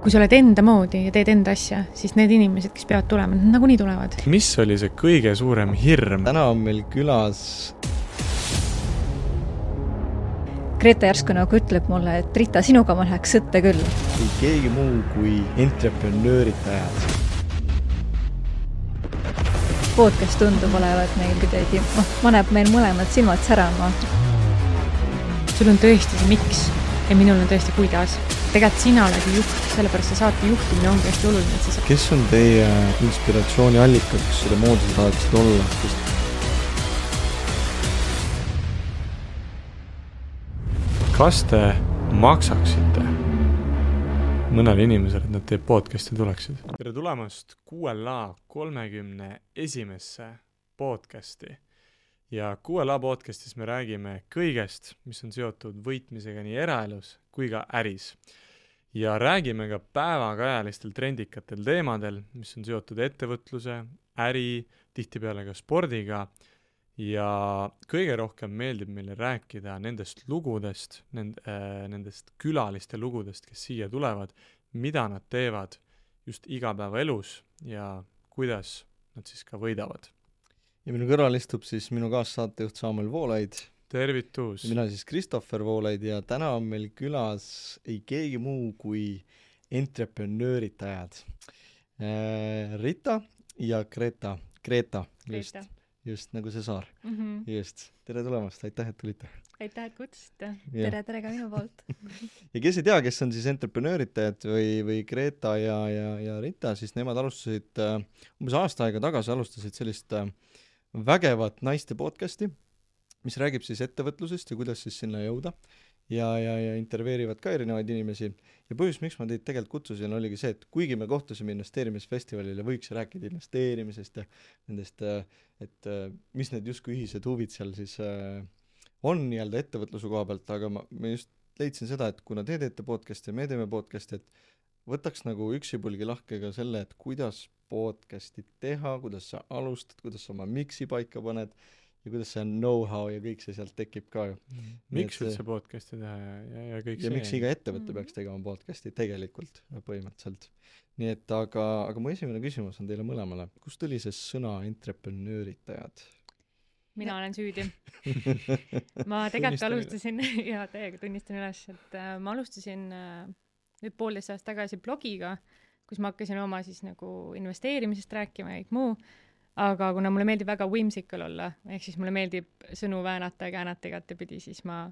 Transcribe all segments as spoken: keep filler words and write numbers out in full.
kui sa oled enda moodi ja teed enda asja, siis need inimesed, kes peavad tulema, nad nagunii tulevad. Mis oli see kõige suurem hirm? Täna on meil külas Greta järsku nagu ütleb mulle, et Rita, sinuga ma läheks sõtte küll. Kui keegi muu kui entreprenööritajad. Podcast tundub olevat meil kuidagi, oh, maneb meil mõlemad silmad särama. Sul on tõesti see miks ja minul on tõesti kuidas. Tegelikult sina oled juht, sellepärast see saate juhtimine ongi hästi oluline. Sa... Kes on teie inspiratsiooni allikaks, selle moodi sa tahaksid olla? Kes... Kas te maksaksite mõnele inimesele, et nad teie podcasti tuleksid? Tere tulemast Q L A kolmekümne esimesse podcasti. Ja Q L A podcastis me räägime kõigest, mis on seotud võitmisega nii eraelus kui ka äris. Ja räägime ka päevakajalistel trendikatel teemadel, mis on seotud ettevõtluse, äri, tihtipeale ka spordiga. Ja kõige rohkem meeldib meile rääkida nendest lugudest, nend, äh, nendest külaliste lugudest, kes siia tulevad, mida nad teevad just igapäevaelus ja kuidas nad siis ka võidavad. Ja minu kõrval istub siis minu kaassaatejuht Samuel Voolaid. Tervitus! Mina siis Christopher Voolaid ja täna on meil külas ei keegi muu kui entreprenööritajad. Äh, Rita ja Greta. Greta, just. Greta. Just nagu see saar. Mm-hmm. Just. Tere tulemast, aitäh, et tulite. Aitäh, et kutsusite. Tere, tere ka minu poolt. Ja kes ei tea, kes on siis entreprenööritajad või, või Greta ja, ja, ja Rita, siis nemad alustasid äh, umbes aasta aega tagasi alustasid sellist äh, vägevat naiste podcasti, mis räägib siis ettevõtlusest ja kuidas siis sinna jõuda ja, ja, ja intervjueerivad ka erinevaid inimesi. Ja põhjus, miks ma teid tegelikult kutsusin, oligi see, et kuigi me kohtusime investeerimisfestivalil ja võiks rääkida investeerimisest ja nendest, et mis need justkui ühised huvid seal siis on nii-öelda ettevõtluse koha pealt, aga ma, ma just leidsin seda, et kuna te teete podcasti ja me teeme podcasti, et võtaks nagu üksipulgi lahke ka selle, et kuidas podcasti teha, kuidas sa alustad, kuidas sa oma miksi paika paned ja kuidas see know-how ja kõik see sealt tekib ka ju. Mm. Miks üldse podcasti teha ja, ja, ja kõik ja see? Ja miks iga ettevõte peaks tegema podcasti tegelikult põhimõtteliselt. Nii et aga, aga mu esimene küsimus on teile mõlemale. Kust tuli see sõna entreprenööritajad? Mina olen süüdi. ma tegelikult alustasin, ja täiega tunnistan üles, et äh, ma alustasin äh, nüüd poolteist aastat tagasi blogiga, kus ma hakkasin oma siis nagu investeerimisest rääkima ja kõik muu. Aga kuna mulle meeldib väga whimsical olla, ehk siis mulle meeldib sõnu väänata ja käänata igatepidi, siis ma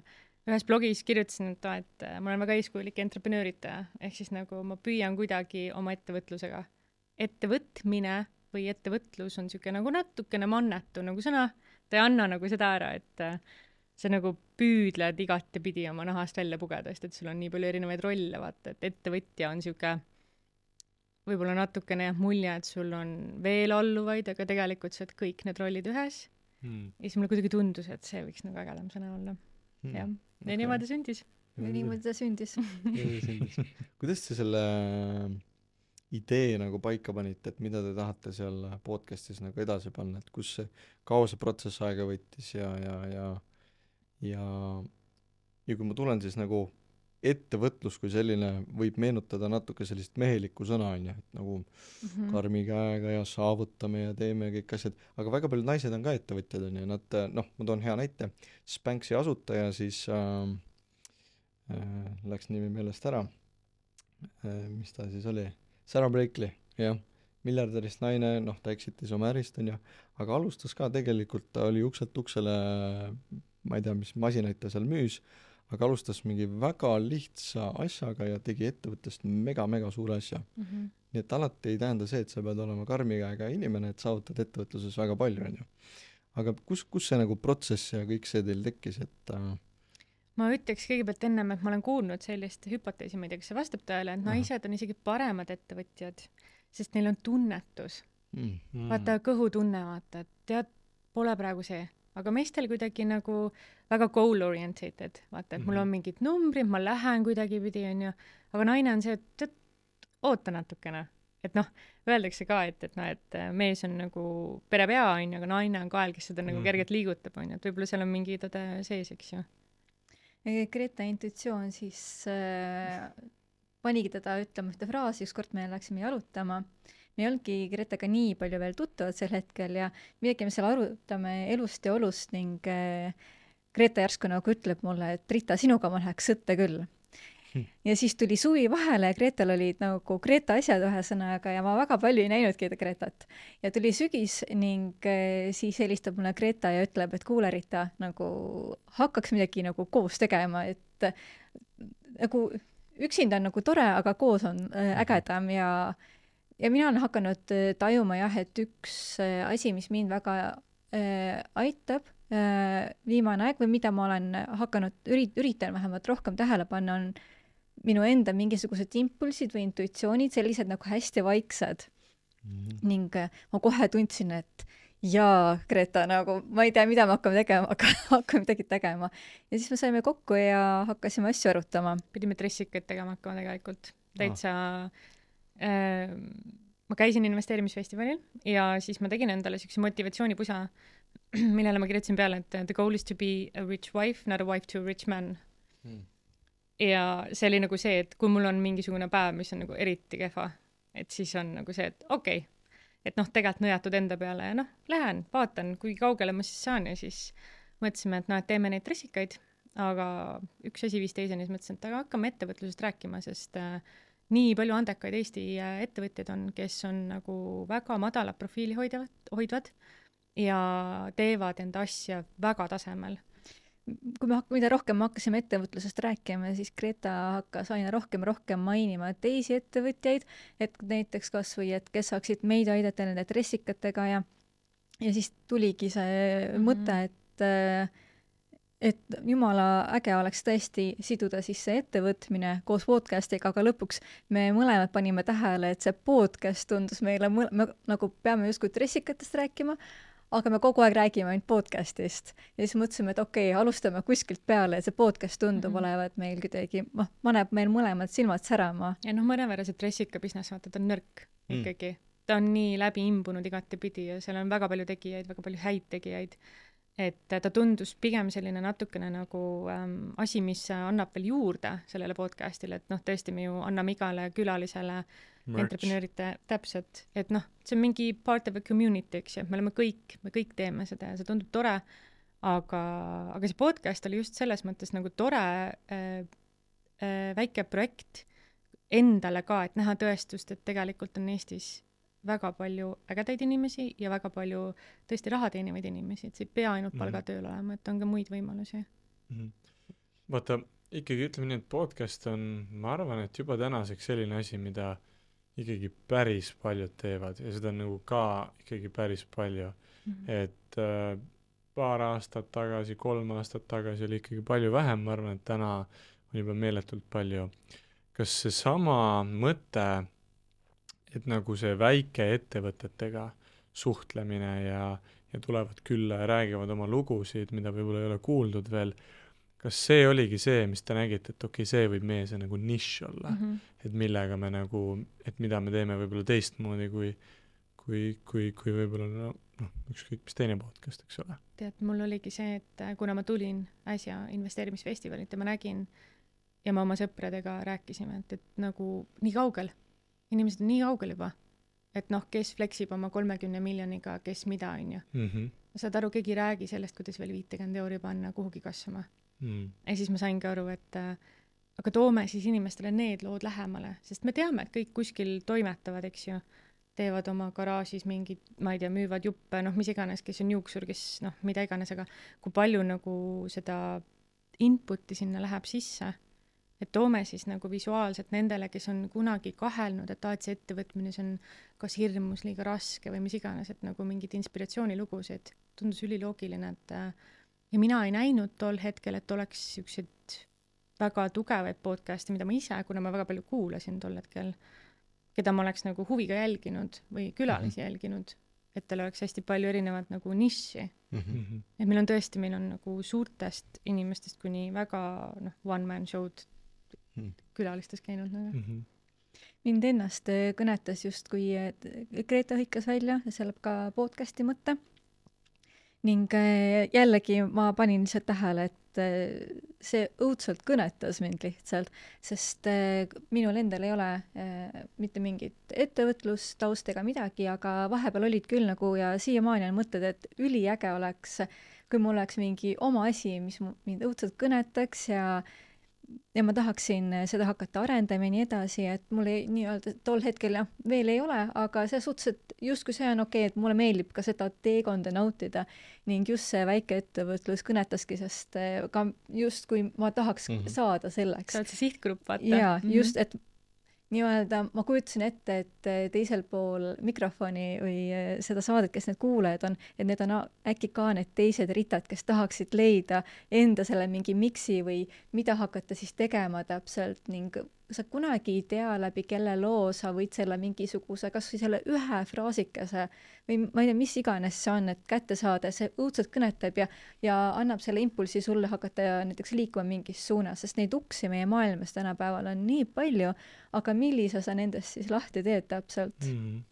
ühes blogis kirjutasin, et, et ma olen väga eeskujulik entreprenööritaja, ehk siis nagu ma püüan kuidagi oma ettevõtlusega. Ettevõtmine või ettevõtlus on siuke nagu natukene mannetu nagu sõna, ta ei anna nagu seda ära, et sa nagu püüdled igatepidi oma nahast välja pugeda, sest et sul on nii palju erinevaid rolle, vaata, et ettevõtja on siuke võib-olla natukene mulje, et sul on veel alluvaid, aga tegelikult sa oled kõik need rollid ühes. Hmm. Ja siis mulle kuidagi tundus, et see võiks nagu ägedam sõna olla. Hmm. Ja, ja okay. Niimoodi sündis. Ja niimoodi ta sündis. sündis. Kuidas te selle idee nagu paika panite, et mida te tahate seal podcastis nagu edasi panna, et kus see kaua see protsess aega võttis ja, ja, ja, ja, ja kui ma tulen siis nagu ettevõtlus kui selline võib meenutada natuke sellist mehelikku sõna, on ju, et nagu mm-hmm. karmi käega ja saavutame ja teeme kõik asjad, aga väga paljud naised on ka ettevõtjad, on ju, nad, noh, ma toon hea näite, Spanksi asutaja siis äh, äh, läks nimi meelest ära, äh, mis ta siis oli, Sarah Blakely, jah, miljardärist naine, noh, ta eksitis oma ärist, on ju, aga alustas ka tegelikult, ta oli ukselt uksele, ma ei tea, mis masinaid ta seal müüs, aga alustas mingi väga lihtsa asjaga ja tegi ettevõttest mega-mega suure asja. Mm-hmm. Nii et alati ei tähenda see, et sa pead olema karmi käega inimene, et saavutad ettevõtluses väga palju, on ju. Aga kus, kus see nagu protsess ja kõik see teil tekkis, et... Äh... Ma ütleks kõigepealt ennem, et ma olen kuulnud sellist hüpoteesi, ma ei tea, kas see vastab tõele, et naised on isegi paremad ettevõtjad, sest neil on tunnetus. Mm. Vaata, kõhutunne, vaata, et tead, pole praegu see. Aga meestel kuidagi nagu väga goal-orientated, vaata, et mul on mingid numbrid, ma lähen kuidagi pidi, on ju, aga naine on see, et, et oota natukene. Et noh, öeldakse ka, et, et, no, et mees on nagu perepea, on ju, aga naine on kael, kes seda mm. nagu kergelt liigutab, on ju, et võib-olla seal on mingi tõde sees, eks ju. Greta intuitsioon siis äh, panigi teda ütlema ühte fraasi, ükskord me läksime jalutama. Me ei olnudki Gretaga nii palju veel tuttavad sel hetkel ja midagi me seal arutame elust ja olust ning äh, Greta järsku nagu ütleb mulle, et Rita, sinuga ma läheks sõtte küll. Ja siis tuli suvi vahele ja Gretal olid nagu Greta asjad ühesõnaga ja ma väga palju ei näinudki Gretat. Ja tuli sügis ning äh, siis helistab mulle Greta ja ütleb, et kuule Rita, nagu hakkaks midagi nagu koos tegema, et äh, nagu üksinda on nagu tore, aga koos on äh, ägedam ja Ja mina olen hakanud tajuma jah, et üks asi, mis mind väga äh, aitab äh, viimane aeg või mida ma olen hakanud, ürit, üritan vähemalt rohkem tähele panna, on minu enda mingisugused impulsid või intuitsioonid, sellised nagu hästi vaiksed. Mm-hmm. Ning äh, ma kohe tundsin, et jaa, Greta, nagu ma ei tea, mida me hakkame tegema, aga hakkame midagi tegema. Ja siis me saime kokku ja hakkasime asju arutama. Pidime dressikaid tegema hakkama tegelikult. Täitsa... Ah. Äh, ma käisin investeerimisfestivalil ja siis ma tegin endale siukse motivatsioonipusa, millele ma kirjutasin peale, et the goal is to be a rich wife, not a wife to a rich man. Hmm. Ja see oli nagu see, et kui mul on mingisugune päev, mis on nagu eriti kehva, et siis on nagu see, et okei, okay, et noh, tegelikult nõjatud enda peale ja noh, lähen, vaatan, kui kaugele ma siis saan ja siis mõtlesime, et noh, et teeme neid dressikaid, aga üks asi viis teiseni, siis mõtlesin, et aga hakkame ettevõtlusest rääkima, sest äh, nii palju andekaid Eesti ettevõtjaid on, kes on nagu väga madala profiili hoidavad, hoidvad ja teevad enda asja väga tasemel. Kui me hak- mida rohkem me hakkasime ettevõtlusest rääkima, siis Greta hakkas aina rohkem rohkem mainima teisi ettevõtjaid, et näiteks kas või, et kes saaksid meid aidata nende dressikatega ja, ja siis tuligi see mm-hmm. mõte, et et jumala äge oleks tõesti siduda siis see ettevõtmine koos podcastiga, aga lõpuks me mõlemad panime tähele, et see podcast tundus meile, mõle, me nagu peame justkui dressikatest rääkima, aga me kogu aeg räägime ainult podcastist. Ja siis mõtlesime, et okei, okay, alustame kuskilt peale, et see podcast tundub mm-hmm. olevat meil kuidagi, noh, paneb meil mõlemad silmad särama. Ja noh, mõnevõrra see dressika business, vaata, ta on nõrk mm. ikkagi. Ta on nii läbi imbunud igatepidi ja seal on väga palju tegijaid, väga palju häid tegijaid. Et ta tundus pigem selline natukene nagu ähm, asi, mis annab veel juurde sellele podcastile, et noh, tõesti me ju anname igale külalisele entrepreneurite täpselt, et noh, see on mingi part of a community, eks ju, me oleme kõik, me kõik teeme seda ja see tundub tore, aga, aga see podcast oli just selles mõttes nagu tore äh, äh, väike projekt endale ka, et näha tõestust, et tegelikult on Eestis väga palju ägedaid inimesi ja väga palju tõesti raha teenivaid inimesi, et see ei pea ainult palgatööl mm-hmm. olema, et on ka muid võimalusi. Mm-hmm. Vaata, ikkagi ütleme nii, et podcast on, ma arvan, et juba tänaseks selline asi, mida ikkagi päris paljud teevad ja seda on nagu ka ikkagi päris palju. Mm-hmm. Et äh, paar aastat tagasi, kolm aastat tagasi oli ikkagi palju vähem, ma arvan, et täna on juba meeletult palju. Kas see sama mõte, et nagu see väike ettevõtetega suhtlemine ja, ja tulevad külla ja räägivad oma lugusid, mida võib-olla ei ole kuuldud veel, kas see oligi see, mis te nägite, et okei, okay, see võib meie see nagu nišš olla, mm-hmm. et millega me nagu, et mida me teeme võib-olla teistmoodi kui, kui, kui, kui võib-olla no, no, ükskõik mis teine podcast, eks ole. Tead, mul oligi see, et kuna ma tulin äsja investeerimisfestivalit ja ma nägin ja ma oma sõpradega rääkisime, et, et nagu nii kaugel inimesed on nii kaugel juba, et noh, kes fleksib oma kolmekümne miljoniga, kes mida, on ju. Mm-hmm. Saad aru, keegi räägi sellest, kuidas veel viitekümmet euri panna kuhugi kasvama. Mm. Ja siis ma saingi aru, et äh, aga toome siis inimestele need lood lähemale, sest me teame, et kõik kuskil toimetavad, eks ju, teevad oma garaažis mingid, ma ei tea, müüvad juppe, noh, mis iganes, kes on juuksur, kes noh, mida iganes, aga kui palju nagu seda inputi sinna läheb sisse, et toome siis nagu visuaalselt nendele, kes on kunagi kahelnud, et aad see ettevõtmine on kas hirmus, liiga raske või mis iganes, et nagu mingid inspiratsioonilugusid tundus üliloogiline, et ja mina ei näinud tol hetkel, et oleks siuksed väga tugevaid podcasti, mida ma ise, kuna ma väga palju kuulasin tol hetkel, keda ma oleks nagu huviga jälginud või külalisi mm-hmm. jälginud, et tal oleks hästi palju erinevat nagu niši. Mm-hmm. Et meil on tõesti, meil on nagu suurtest inimestest kuni väga noh, one man show'd külalistes käinud nagu. Mm-hmm. Mind ennast kõnetas just, kui Greta hõikas välja ja seal ka podcasti mõtte. Ning jällegi ma panin lihtsalt tähele, et see õudselt kõnetas mind lihtsalt, sest äh, minul endal ei ole äh, mitte mingit ettevõtlustausta ega midagi, aga vahepeal olid küll nagu ja siiamaani on mõtted, et üliäge oleks, kui mul oleks mingi oma asi, mis mind õudselt kõnetaks ja ja ma tahaksin seda hakata arendama ja nii edasi, et mul ei nii-öelda tol hetkel jah, veel ei ole, aga see suhtes, et justkui see on okei, et mulle meeldib ka seda teekonda nautida ning just see väike ettevõtlus kõnetaski, sest ka justkui ma tahaks mm -hmm. saada selleks. Sa oled see sihtgrupp, vaata. jaa, just, et nii-öelda ma kujutasin ette, et teisel pool mikrofoni või seda saadet, kes need kuulajad on, et need on äkki ka need teised ritad, kes tahaksid leida enda selle mingi miksi või mida hakata siis tegema täpselt ning sa kunagi ei tea läbi kelle loo sa võid selle mingisuguse, kas või selle ühe fraasikese või ma ei tea, mis iganes see on, et kätte saada, see õudselt kõnetab ja, ja annab selle impulsi sulle hakata näiteks liikuma mingis suunas, sest neid uksi meie maailmas tänapäeval on nii palju, aga millise sa nendest siis lahti teed täpselt mm? -hmm.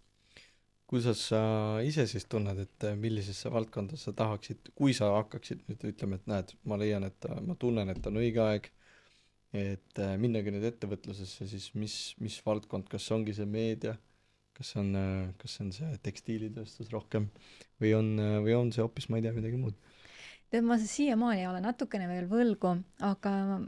Kuidas sa ise siis tunned, et millisesse valdkonda sa tahaksid, kui sa hakkaksid nüüd ütlema, et näed, ma leian, et ma tunnen, et on õige aeg et minnagi nüüd ettevõtlusesse, siis mis, mis valdkond, kas ongi see meedia, kas on, kas on see tekstiilitööstus rohkem või on, või on see hoopis, ma ei tea, midagi muud? Tead, ma siiamaani olen natukene veel võlgu, aga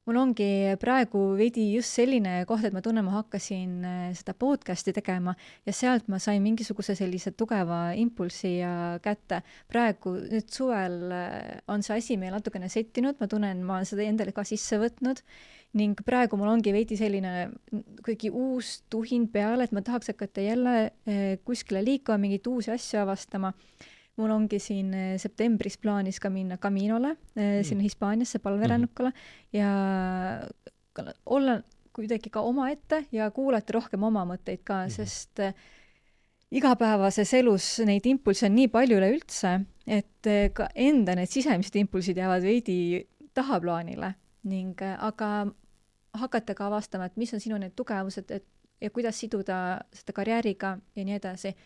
mul ongi praegu veidi just selline koht, et ma tunnen, ma hakkasin seda podcasti tegema ja sealt ma sain mingisuguse sellise tugeva impulsi ja kätte. Praegu nüüd suvel on see asi meil natukene settinud, ma tunnen, ma olen seda endale ka sisse võtnud ning praegu mul ongi veidi selline kuidagi uus tuhin peale, et ma tahaks hakata jälle kuskile liikuma, mingeid uusi asju avastama. Mul ongi siin septembris plaanis ka minna Caminole, mm. sinna Hispaaniasse palverännukule mm. ja olla kuidagi ka oma ette ja kuulata rohkem oma mõtteid ka, mm. sest igapäevases elus neid impulse on nii palju üleüldse, et ka enda need sisemised impulsid jäävad veidi tahaplaanile ning aga hakata ka avastama, et mis on sinu need tugevused et, ja kuidas siduda seda karjääriga ja nii edasi.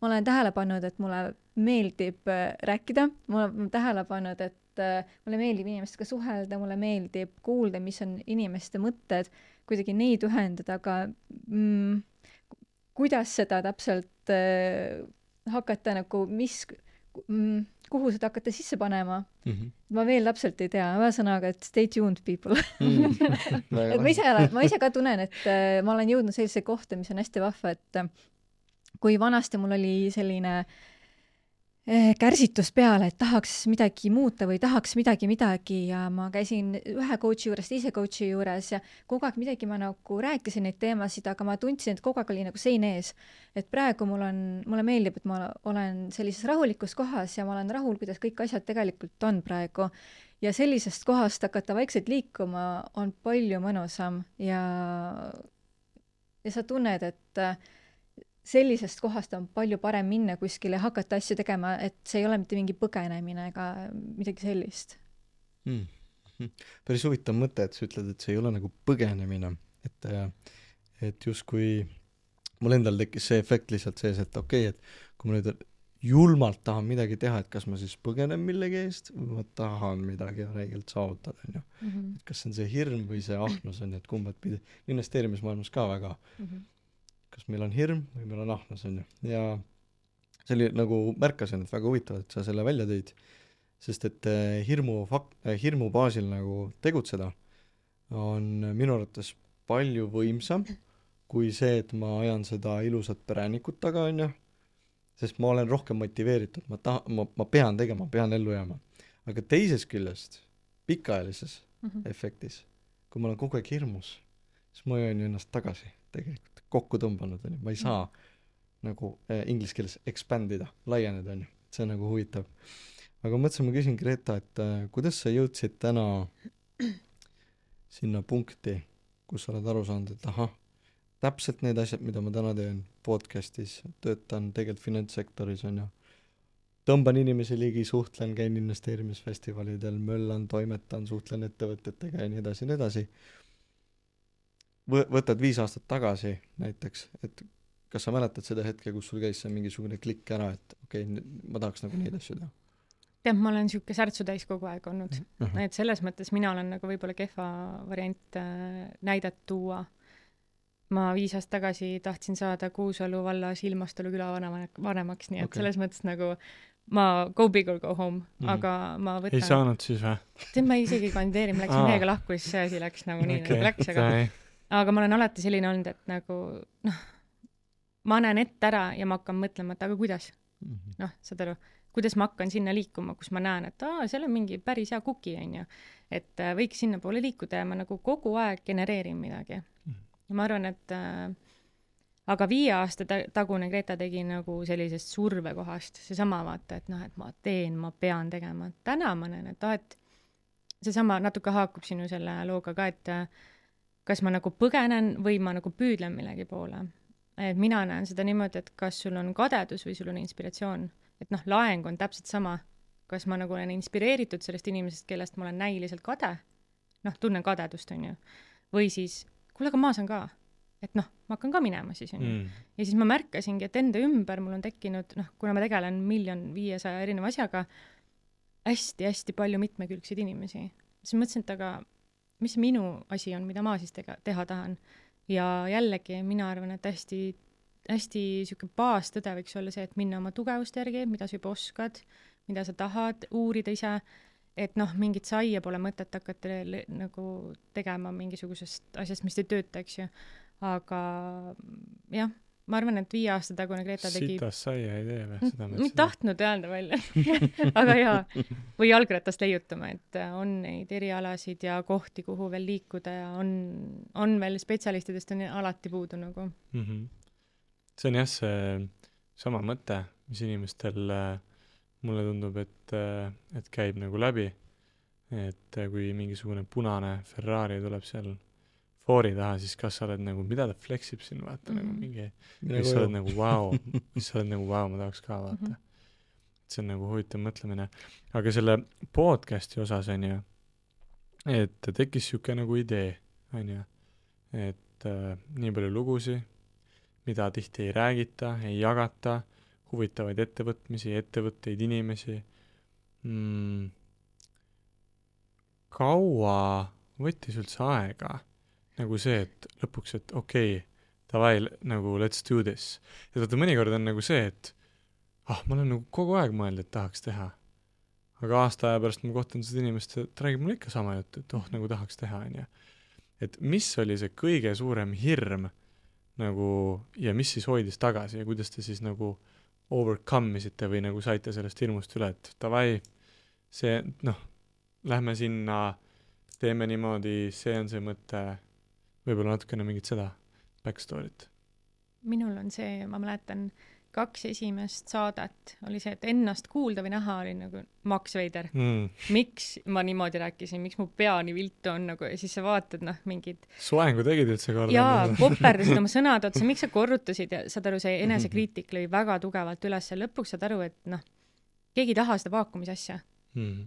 Ma olen tähele pannud, et mulle meeldib rääkida, ma olen tähele pannud, et mulle meeldib inimestega suhelda, mulle meeldib kuulda, mis on inimeste mõtted, kuidagi neid ühendada, aga mm, kuidas seda täpselt äh, hakata nagu, mis, mm, kuhu seda hakata sisse panema, mm -hmm. ma veel täpselt ei tea, ühesõnaga, et stay tuned people mm. et ma ise, ma ise ka tunnen, et äh, ma olen jõudnud sellise kohta, mis on hästi vahva, et kui vanasti mul oli selline eh, kärsitus peale, et tahaks midagi muuta või tahaks midagi midagi ja ma käisin ühe coachi juures, teise coachi juures ja kogu aeg midagi ma nagu rääkisin neid teemasid, aga ma tundsin, et kogu aeg oli nagu sein ees. Et praegu mul on, mulle meeldib, et ma olen sellises rahulikus kohas ja ma olen rahul, kuidas kõik asjad tegelikult on praegu. Ja sellisest kohast hakata vaikselt liikuma on palju mõnusam ja, ja sa tunned, et sellisest kohast on palju parem minna kuskile ja hakata asju tegema, et see ei ole mitte mingi põgenemine ega midagi sellist mm.. Päris huvitav mõte, et sa ütled, et see ei ole nagu põgenemine, et, et justkui mul endal tekkis see efekt lihtsalt sees, et okei, et kui ma nüüd julmalt tahan midagi teha, et kas ma siis põgenen millegi eest või ma tahan midagi räigelt saavutada, on ju. Mm-hmm. Et kas see on see hirm või see ahnus on, et kumbad pidi, investeerimismaailmas ka väga mm-hmm. kas meil on hirm või meil on ahnus, on ju. Ja see oli nagu, märkasin, et väga huvitav, et sa selle välja tõid, sest et hirmu, fak-, hirmu baasil nagu tegutseda on minu arvates palju võimsam kui see, et ma ajan seda ilusat präänikut taga, on ju, sest ma olen rohkem motiveeritud, ma, taha, ma, ma pean tegema, pean ellu jääma. Aga teisest küljest, pikaajalises mm-hmm. efektis, kui ma olen kogu aeg hirmus, siis ma jään ennast tagasi tegelikult. Kokku tõmbanud, on ju, ma ei saa mm. nagu äh, inglise keeles expandida, laieneda, on ju, see on nagu huvitav. Aga mõtlesin, ma küsin Greta, et äh, kuidas sa jõudsid täna sinna punkti, kus sa oled aru saanud, et ahah, täpselt need asjad, mida ma täna teen podcastis, töötan tegelikult finantssektoris, on ju, tõmban inimesi ligi, suhtlen, käin investeerimisfestivalidel, möllan, toimetan, suhtlen ettevõtetega ja nii edasi, nii edasi. Võtad viis aastat tagasi näiteks, et kas sa mäletad seda hetke, kus sul käis see mingisugune klikk ära, et okei, okay, ma tahaks nagu neid asju teha? tead, ma olen siuke särtsu täis kogu aeg olnud. Uh -huh. Et selles mõttes mina olen nagu võib-olla kehva variant äh, näidet tuua. Ma viis aastat tagasi tahtsin saada Kuusalu vallas Ilmastalu küla vanemaks, nii et okay. selles mõttes nagu ma go big or go home, mm -hmm. aga ma võtan... Ei saanud siis või? Tead, ma isegi kandideerin, ma läksin meiega lahku, siis see asi läks nagu nii, okay. nagu läks, aga... aga ma olen alati selline olnud, et nagu, noh, ma näen ette ära ja ma hakkan mõtlema, et aga kuidas? Mm -hmm. Noh, saad aru, kuidas ma hakkan sinna liikuma, kus ma näen, et aa, seal on mingi päris hea kuki, on ju. Et äh, võiks sinna poole liikuda ja ma nagu kogu aeg genereerin midagi. Mm -hmm. Ja ma arvan, et... Äh, aga viie aasta tagune Greta tegi nagu sellisest survekohast, seesama vaata, et noh, et ma teen, ma pean tegema. Täna ma näen, et, et seesama natuke haakub sinu selle looga ka, et kas ma nagu põgenen või ma nagu püüdlen millegi poole. Et mina näen seda niimoodi, et kas sul on kadedus või sul on inspiratsioon. Et noh, laeng on täpselt sama. Kas ma nagu olen inspireeritud sellest inimesest, kellest ma olen näiliselt kade, noh, tunnen kadedust, on ju. Või siis, kuule, aga ma saan ka. Et noh, ma hakkan ka minema siis, on ju. Mm. Ja siis ma märkasingi, et enda ümber mul on tekkinud, noh, kuna ma tegelen miljon viiesaja erineva asjaga, hästi-hästi palju mitmekülgseid inimesi. Siis mõtlesin, et aga mis minu asi on, mida ma siis tega, teha tahan. Ja jällegi, mina arvan, et hästi, hästi siuke baastõde võiks olla see, et minna oma tugevuste järgi, mida sa juba oskad, mida sa tahad uurida ise, et noh, mingit saia pole mõtet hakata le- nagu tegema mingisugusest asjast, mis ei tööta, eks ju. Aga jah, ma arvan, et viie aasta tagune Greta tegi... Sitas saia ei tee või? Seda ma ei tahtnud öelda välja. Aga jaa, või jalgratast leiutama, et on neid erialasid ja kohti, kuhu veel liikuda ja on, on veel spetsialistidest on alati puudu nagu. Mm -hmm. See on jah see sama mõte, mis inimestel mulle tundub, et, et käib nagu läbi. Et kui mingisugune punane Ferrari tuleb seal foori taha, siis kas sa oled nagu, mida ta fleksib siin, vaata, mm. nagu mingi, mis sa oled nagu vau, mis sa oled nagu vau, ma tahaks ka, vaata. Mm -hmm. See on nagu huvitav mõtlemine. Aga selle podcasti osas on ju, et tekkis siuke nagu idee, on ju, et äh, nii palju lugusi, mida tihti ei räägita, ei jagata, huvitavaid ettevõtmisi, ettevõtteid, inimesi. Mm, kaua võttis üldse aega? Nagu see, et lõpuks, et okei, okay, davai, nagu let's do this. Ja vaata, mõnikord on nagu see, et ah, ma olen nagu kogu aeg mõelnud, et tahaks teha. Aga aasta aja pärast ma kohtan seda inimest, et räägib mulle ikka sama juttu, et oh, nagu tahaks teha, on ju. Et mis oli see kõige suurem hirm nagu, ja mis siis hoidis tagasi ja kuidas te siis nagu overcome isite või nagu saite sellest hirmust üle, et davai, see, noh, lähme sinna, teeme niimoodi, see on see mõte, võib-olla natukene mingit seda backstory't. Minul on see, ma mäletan, kaks esimest saadet oli see, et ennast kuulda või näha oli nagu Max Veider. Mm. Miks ma niimoodi rääkisin, miks mu pea nii viltu on nagu, ja siis sa vaatad, noh, mingid... Soengu tegid üldse korda. Jaa, koperdasid oma sõnad otsa, miks sa korrutasid ja saad aru, see enesekriitik lõi väga tugevalt üles ja lõpuks saad aru, et noh, keegi ei taha seda vaakumise asja. Mm.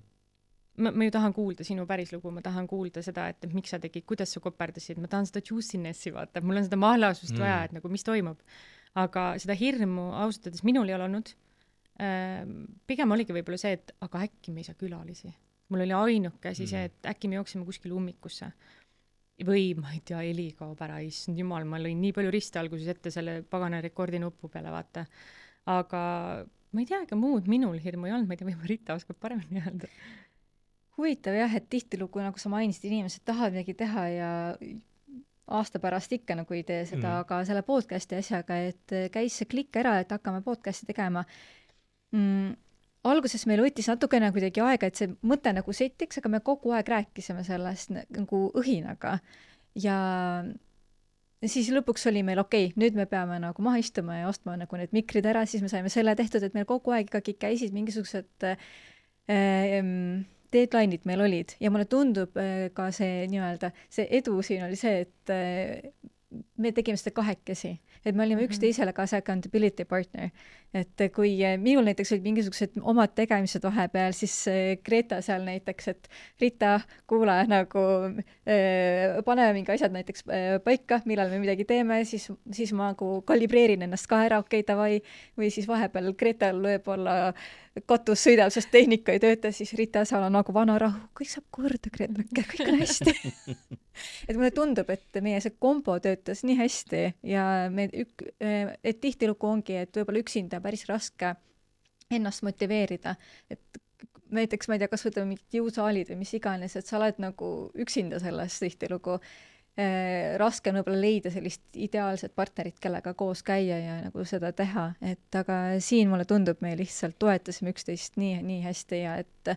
Ma, ma ju tahan kuulda sinu päris lugu, ma tahan kuulda seda, et miks sa tegid, kuidas sa koperdasid, ma tahan seda juicinessi vaata, mul on seda mahlasust mm. vaja, et nagu mis toimub. Aga seda hirmu ausalt öeldes minul ei ole olnud. Pigem oligi võib-olla see, et aga äkki me ei saa külalisi. Mul oli ainuke asi mm. see, et äkki me jooksime kuskil ummikusse. Või ma ei tea, Eli kaob ära, issand jumal, ma lõin nii palju riste alguses ette selle pagana rekordi nupu peale, vaata. Aga ma ei tea, ega muud minul hirmu ei olnud, ma ei tea, või Marita oskab paremini öelda. Huvitav jah, et tihtilugu, nagu sa mainisid, inimesed tahavad midagi teha ja aasta pärast ikka nagu ei tee seda mm., aga selle podcasti asjaga, et käis see klikk ära, et hakkame podcasti tegema. Mm, alguses meil võttis natukene kuidagi aega, et see mõte nagu setiks, aga me kogu aeg rääkisime sellest nagu õhinaga. Ja siis lõpuks oli meil okei, okay, nüüd me peame nagu maha istuma ja ostma nagu need mikrid ära, siis me saime selle tehtud, et meil kogu aeg ikkagi käisid mingisugused äh, deadline'id meil olid ja mulle tundub ka see nii-öelda, see edu siin oli see, et me tegime seda kahekesi. et me olime Mhm. üksteisele ka see accountability partner. et kui eh, minul näiteks olid mingisugused omad tegemised vahepeal, siis eh, Greta seal näiteks, et Rita, kuule, nagu eh, paneme mingi asjad näiteks eh, paika, millal me midagi teeme, siis, siis ma nagu kalibreerin ennast ka ära, okei, okay, davai, või siis vahepeal Gretal võib-olla katus sõidab, sest tehnika ei tööta, siis Rita seal on nagu vana rahu, kõik saab korda, Greta, kõik on hästi. et mulle tundub, et meie see kombo töötas nii hästi ja me ük-, et tihtilugu ongi, et võib-olla üksinda päris raske ennast motiveerida, et näiteks ma ei tea, kas võtame mingid jõusaalid või mis iganes, et sa oled nagu üksinda selles tihtilugu eh, raske on võib-olla leida sellist ideaalset partnerit, kellega koos käia ja nagu seda teha, et aga siin mulle tundub, me lihtsalt toetasime üksteist nii, nii hästi ja et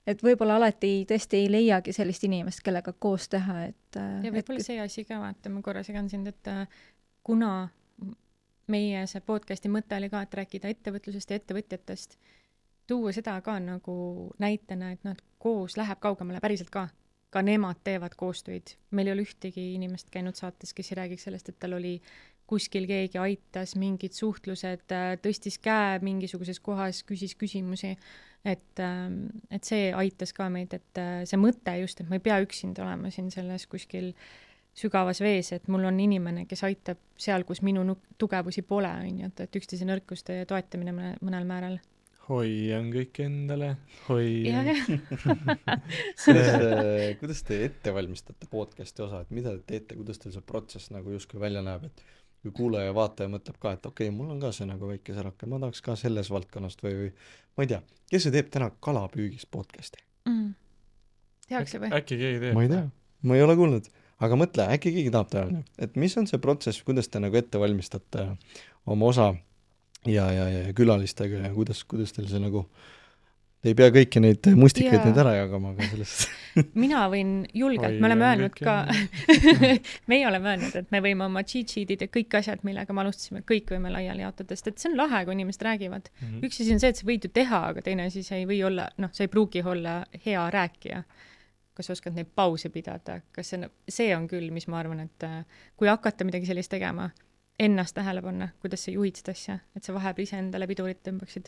et võib-olla alati tõesti ei leiagi sellist inimest, kellega koos teha, et ja võib-olla see asi ka, vaata, ma korra segan sind, et kuna meie see podcasti mõte oli ka, et rääkida ettevõtlusest ja ettevõtjatest, tuua seda ka nagu näitena, et nad koos läheb kaugemale päriselt ka. Ka nemad teevad koostöid. Meil ei ole ühtegi inimest käinud saates, kes ei räägiks sellest, et tal oli kuskil keegi aitas, mingid suhtlused, tõstis käe mingisuguses kohas, küsis küsimusi, et, et see aitas ka meid, et see mõte just, et ma ei pea üksinda olema siin selles kuskil sügavas vees, et mul on inimene, kes aitab seal, kus minu tugevusi pole, on ju, et, et üksteise nõrkuste toetamine mõnel määral. Hoian kõik endale, hoian. kuidas, kuidas te ette valmistate podcasti osa, et mida te teete, kuidas teil see protsess nagu justkui välja näeb, et kui kuulaja ja vaataja mõtleb ka, et okei okay,, mul on ka see nagu väike särake, ma tahaks ka selles valdkonnast või, või ma ei tea, kes see teeb täna kalapüügist podcasti mm.? Tehakse või? Äkki keegi teeb? Ma ei tea, ma ei ole kuulnud, aga mõtle, äkki keegi tahab teha, et mis on see protsess, kuidas te nagu ette valmistate oma osa ja, ja, ja külalistega ja kuidas, kuidas teil see nagu, te ei pea kõiki neid mustikaid Jaa. nüüd ära jagama, aga sellest mina võin julgelt, me oleme Hoian öelnud kõik ka, meie oleme öelnud, et me võime oma cheat sheet'id ja kõik asjad, millega me alustasime, kõik võime laiali jaotada, sest et see on lahe, kui inimesed räägivad. mm. -hmm. Üks asi on see, et sa võid ju teha, aga teine asi, sa ei või olla, noh, sa ei pruugi olla hea rääkija. Kas sa oskad neid pause pidada, kas see, see on küll, mis ma arvan, et kui hakata midagi sellist tegema, ennast tähele panna, kuidas sa juhid seda asja, et sa vahepeal ise endale pidurit tõmbaksid,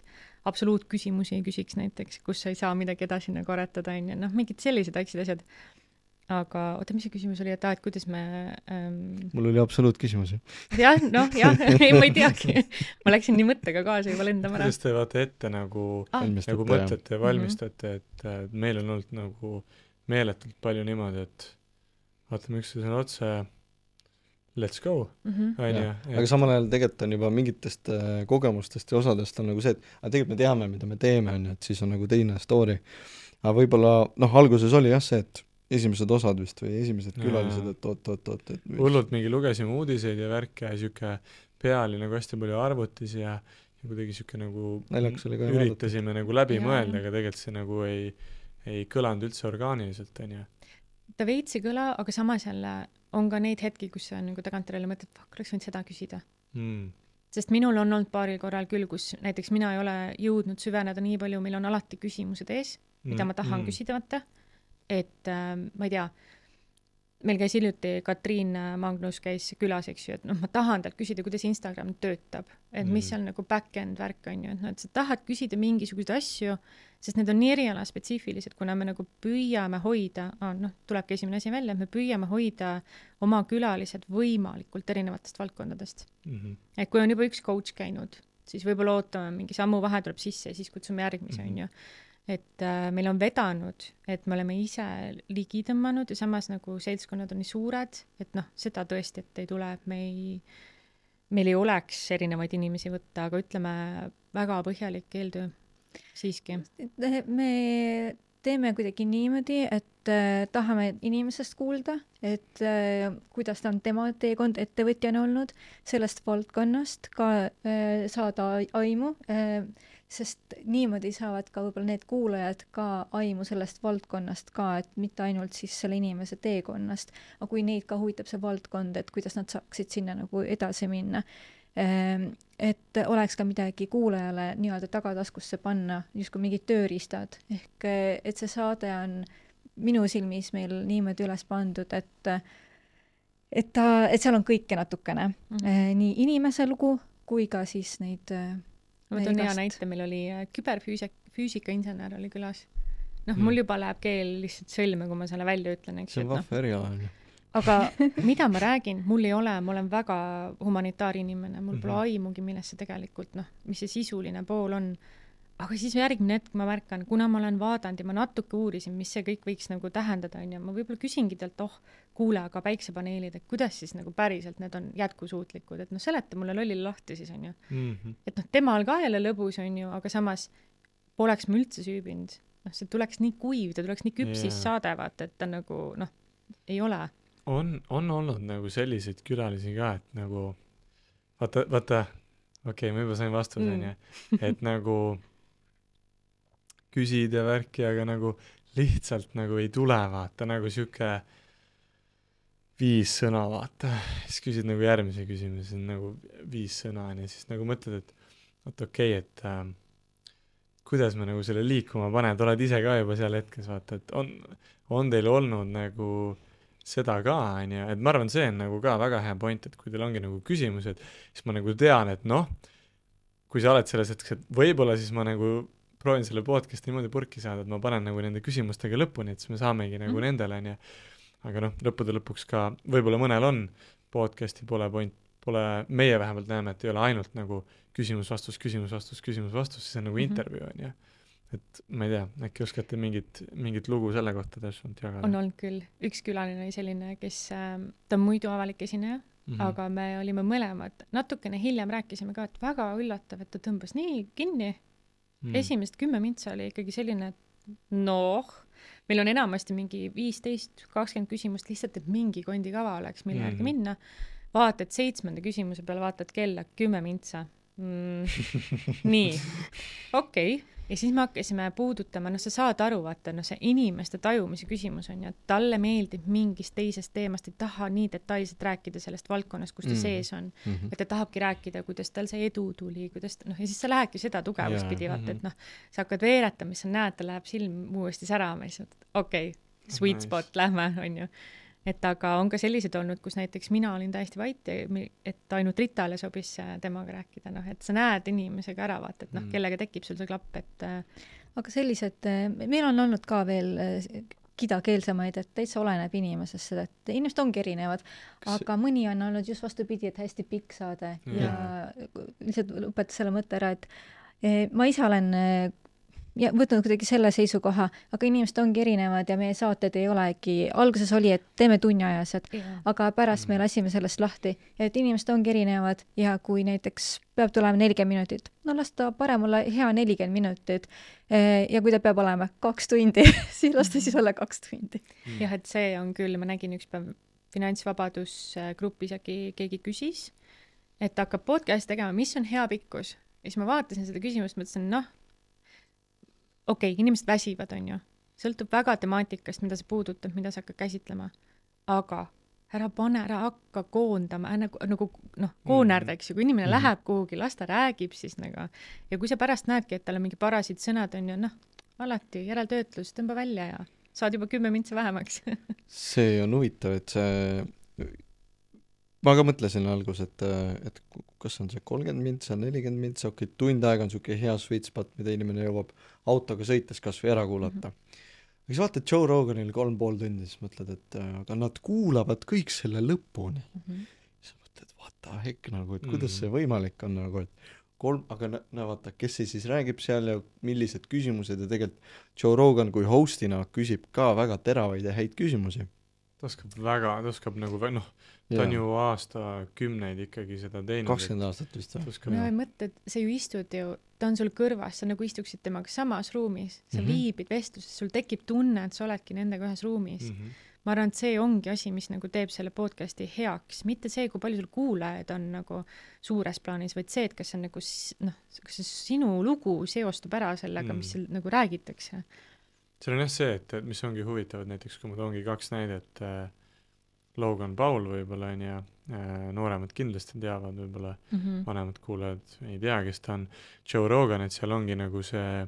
absoluutküsimusi ei küsiks näiteks, kus sa ei saa midagi edasi nagu aretada, on ju, noh, mingid sellised väiksed asjad. Aga oota, mis see küsimus oli, et ah, et kuidas me ähm... mul oli absoluutküsimus. jah, noh, jah, ei, ma ei teagi. Ma läksin nii mõttega kaasa juba lendama ära. Kuidas te vaata ette nagu, ah. nagu mõtlete ja valmistate, et meil on olnud nagu meeletult palju niimoodi, et vaatame üksteisele otse, let's go, mm-hmm. on ju. Aga samal ajal tegelikult on juba mingitest äh, kogemustest ja osadest on nagu see, et aga tegelikult me teame, mida me teeme, on ju, et siis on nagu teine story. Aga võib-olla, noh, alguses oli jah see, et esimesed osad vist või esimesed külalised, et oot, oot, oot, et hullult mingi lugesime uudiseid ja värke ja siuke pea oli nagu hästi palju arvutis ja, ja kuidagi siuke nagu naljakas oli ka üritasime nagu läbi ja. mõelda, aga tegelikult see nagu ei, ei kõlanud üldse orgaaniliselt, on ju. Ta veits ei kõla, aga samas jälle on ka neid hetki, kus sa nagu tagantjärele mõtled, fuck, oleks võinud seda küsida. Mm. Sest minul on olnud paaril korral küll, kus näiteks mina ei ole jõudnud süveneda nii palju, meil on alati küsimused ees, mida ma tahan mm. küsida võtta. Et äh, ma ei tea, meil käis hiljuti Katriin Magnus käis külas, eks ju, et noh, ma tahan talt küsida, kuidas Instagram töötab, et mis seal nagu back-end värk on ju, et noh, et sa tahad küsida mingisuguseid asju, sest need on nii eriala spetsiifilised, kuna me nagu püüame hoida, ah, noh, tulebki esimene asi välja, me püüame hoida oma külalised võimalikult erinevatest valdkondadest. Mm-hmm. Et kui on juba üks coach käinud, siis võib-olla ootame mingi sammu vahe tuleb sisse ja siis kutsume järgmise, mm-hmm. on ju. Et äh, meil on vedanud, et me oleme ise ligi tõmmanud ja samas nagu seltskonnad on nii suured, et noh, seda tõesti, et ei tule, et me ei, meil ei oleks erinevaid inimesi võtta, aga ütleme väga põhjalik eeltöö siiski. Me teeme kuidagi niimoodi, et äh, tahame inimesest kuulda, et äh, kuidas ta on tema teekond ettevõtjana olnud, sellest valdkonnast ka äh, saada aimu, äh, sest niimoodi saavad ka võib-olla need kuulajad ka aimu sellest valdkonnast ka, et mitte ainult siis selle inimese teekonnast, aga kui neid ka huvitab see valdkond, et kuidas nad saaksid sinna nagu edasi minna. Et oleks ka midagi kuulajale nii-öelda tagataskusse panna, justkui mingid tööriistad. Ehk et see saade on minu silmis meil niimoodi üles pandud, et et ta, et seal on kõike natukene Mhm. mm. , nii inimese lugu kui ka siis neid ma toon hea igast- näite, meil oli äh, küberfüüsik, füüsikainsener oli külas. noh Mm. mul juba läheb keel lihtsalt sõlme, kui ma selle välja ütlen, eks see ju, on et noh, vahva eriala on ju. aga mida ma räägin, mul ei ole, ma olen väga humanitaarinimene, mul pole Mhm. aimugi, millest see tegelikult, noh, mis see sisuline pool on. aga siis järgmine hetk ma märkan, kuna ma olen vaadanud ja ma natuke uurisin, mis see kõik võiks nagu tähendada, on ju, ma võib-olla küsingi talt, oh, kuule, aga päiksepaneelid, et kuidas siis nagu päriselt need on jätkusuutlikud, et noh, seleta mulle lollile lahti siis, on ju. mm-hmm. et noh, temal ka jälle lõbus, on ju, aga samas poleks ma üldse süübinud. noh, see tuleks nii kuiv, ta tuleks nii küpsis Jaa. saade, vaata, et ta nagu, noh, ei ole. on, on olnud nagu selliseid külalisi ka, et nagu vaata, vaata, okei okay,, ma juba sain vastuse, Mm. onju, et nagu küsid ja värki, aga nagu lihtsalt nagu ei tule, vaata, nagu sihuke viis sõna, vaata, siis küsid nagu järgmise küsimuse, nagu viis sõna, onju, siis nagu mõtled, et oot okei okay,, et äh, kuidas me nagu selle liikuma paned, oled ise ka juba seal hetkes, vaata, et on, on teil olnud nagu seda ka, onju, et ma arvan, see on nagu ka väga hea point, et kui teil ongi nagu küsimused, siis ma nagu tean, et noh, kui sa oled selles hetkes, et võib-olla siis ma nagu proovin selle podcast'i niimoodi purki saada, et ma panen nagu nende küsimustega lõpuni, et siis me saamegi nagu mm. nendele, onju. aga noh, lõppude lõpuks ka, võib-olla mõnel on podcast'i pole point, pole, meie vähemalt näeme, et ei ole ainult nagu küsimus-vastus, küsimus-vastus, küsimus-vastus, siis on nagu Mhm. intervjuu, onju. et ma ei tea, äkki oskate mingit, mingit lugu selle kohta täpsemalt jagada? on olnud küll. üks külaline oli selline, kes äh,, ta on muidu avalik esineja mm, -hmm. aga me olime mõlemad, natukene hiljem rääkisime ka, et väga üllatav, et ta tõmbas nii kinni mm. . esimesed kümme mintsa oli ikkagi selline, et noh, meil on enamasti mingi viisteist, kakskümmend küsimust lihtsalt, et mingi kondikava oleks, mille järgi Mhm. minna. vaatad seitsmenda küsimuse peale, vaatad kella, kümme mintsa mm. . nii, okei okay. ja siis me hakkasime puudutama, noh, sa saad aru, vaata, noh, see inimeste tajumise küsimus on ju, et talle meeldib mingist teisest teemast, ei taha nii detailselt rääkida sellest valdkonnast, kus ta Mm. sees on mm . -hmm. et ta tahabki rääkida, kuidas tal see edu tuli, kuidas ta, noh, ja siis sa lähedki seda tugevust Jaa, pidi, vaata, mhm. et noh, sa hakkad veeretama, siis sa näed, ta läheb silm uuesti särama, siis okei okay, , sweet Nice. spot, lähme, on ju. et aga on ka sellised olnud, kus näiteks mina olin täiesti vait ja mi- et ainult Ritale sobis äh, temaga rääkida, noh, et sa näed inimesega ära, vaata, et noh, Mm. kellega tekib sul see klapp, et äh, aga sellised, meil on olnud ka veel eh, kidakeelsemaid, et täitsa oleneb inimesest seda, et inimesed ongi erinevad, Kas- aga mõni on olnud just vastupidi, et hästi pikk saade Jaa. ja lihtsalt lõpetas selle mõtte ära, et eh, ma ise olen eh, ja võtnud kuidagi selle seisukoha, aga inimesed ongi erinevad ja meie saated ei olegi, alguses oli, et teeme tunniajased, aga pärast me lasime sellest lahti, et inimesed ongi erinevad ja kui näiteks peab tulema nelikümmend minutit, no las ta parem olla hea nelikümmend minutit. Ja kui ta peab olema kaks tundi, siis las ta siis olla kaks tundi. jah, et see on küll, ma nägin üks päev Finantsvabadus grupis äkki keegi küsis, et hakkab podcast'i tegema, mis on hea pikkus. Ja siis ma vaatasin seda küsimust, mõtlesin, noh, okei okay,, inimesed väsivad, on ju. Sõltub väga temaatikast, mida sa puudutab, mida sa hakkad käsitlema. Aga ära pane, ära hakka koondama, nagu, nagu noh, koonärda, eks ju, kui inimene mm -hmm. läheb kuhugi, las ta räägib siis nagu. Ja kui sa pärast näedki, et tal on mingi parasid sõnad, on ju, noh, alati järeltöötlus, tõmba välja ja saad juba kümme mintsa vähemaks. see on huvitav, et see, ma ka mõtlesin algus, et, et kas on see kolmkümmend mintsa, nelikümmend mintsa, okei okay,, tund aega on niisugune hea sweet spot, mida inimene jõuab autoga sõites kas või ära kuulata mm. -hmm. aga siis vaatad Joe Roganil kolm pool tundi, siis mõtled, et aga nad kuulavad kõik selle lõpuni mm. -hmm. siis mõtled, what the heck nagu, et kuidas see võimalik on nagu, et kolm, aga no, no vaata, kes see siis räägib seal ja millised küsimused ja tegelikult Joe Rogan kui hostina küsib ka väga teravaid ja häid küsimusi. ta oskab väga, ta oskab nagu, noh, ta on ju aastakümneid ikkagi seda teinud. kakskümmend aastat vist või? no ja mõtle, et sa ju istud ju, ta on sul kõrvas, sa nagu istuksid temaga samas ruumis, sa mm -hmm. viibid vestluses, sul tekib tunne, et sa oledki nendega ühes ruumis mm. -hmm. ma arvan, et see ongi asi, mis nagu teeb selle podcasti heaks, mitte see, kui palju sul kuulajaid on nagu suures plaanis, vaid see, et kas see on nagu noh, kas see sinu lugu seostub ära sellega mm., mis seal nagu räägitakse. see on jah see, et, et mis ongi huvitav, et näiteks kui ma toongi kaks näidet äh, Logan Paul võib-olla on ja äh, nooremad kindlasti teavad, võib-olla mm -hmm. vanemad kuulajad ei tea, kes ta on. Joe Rogan, et seal ongi nagu see,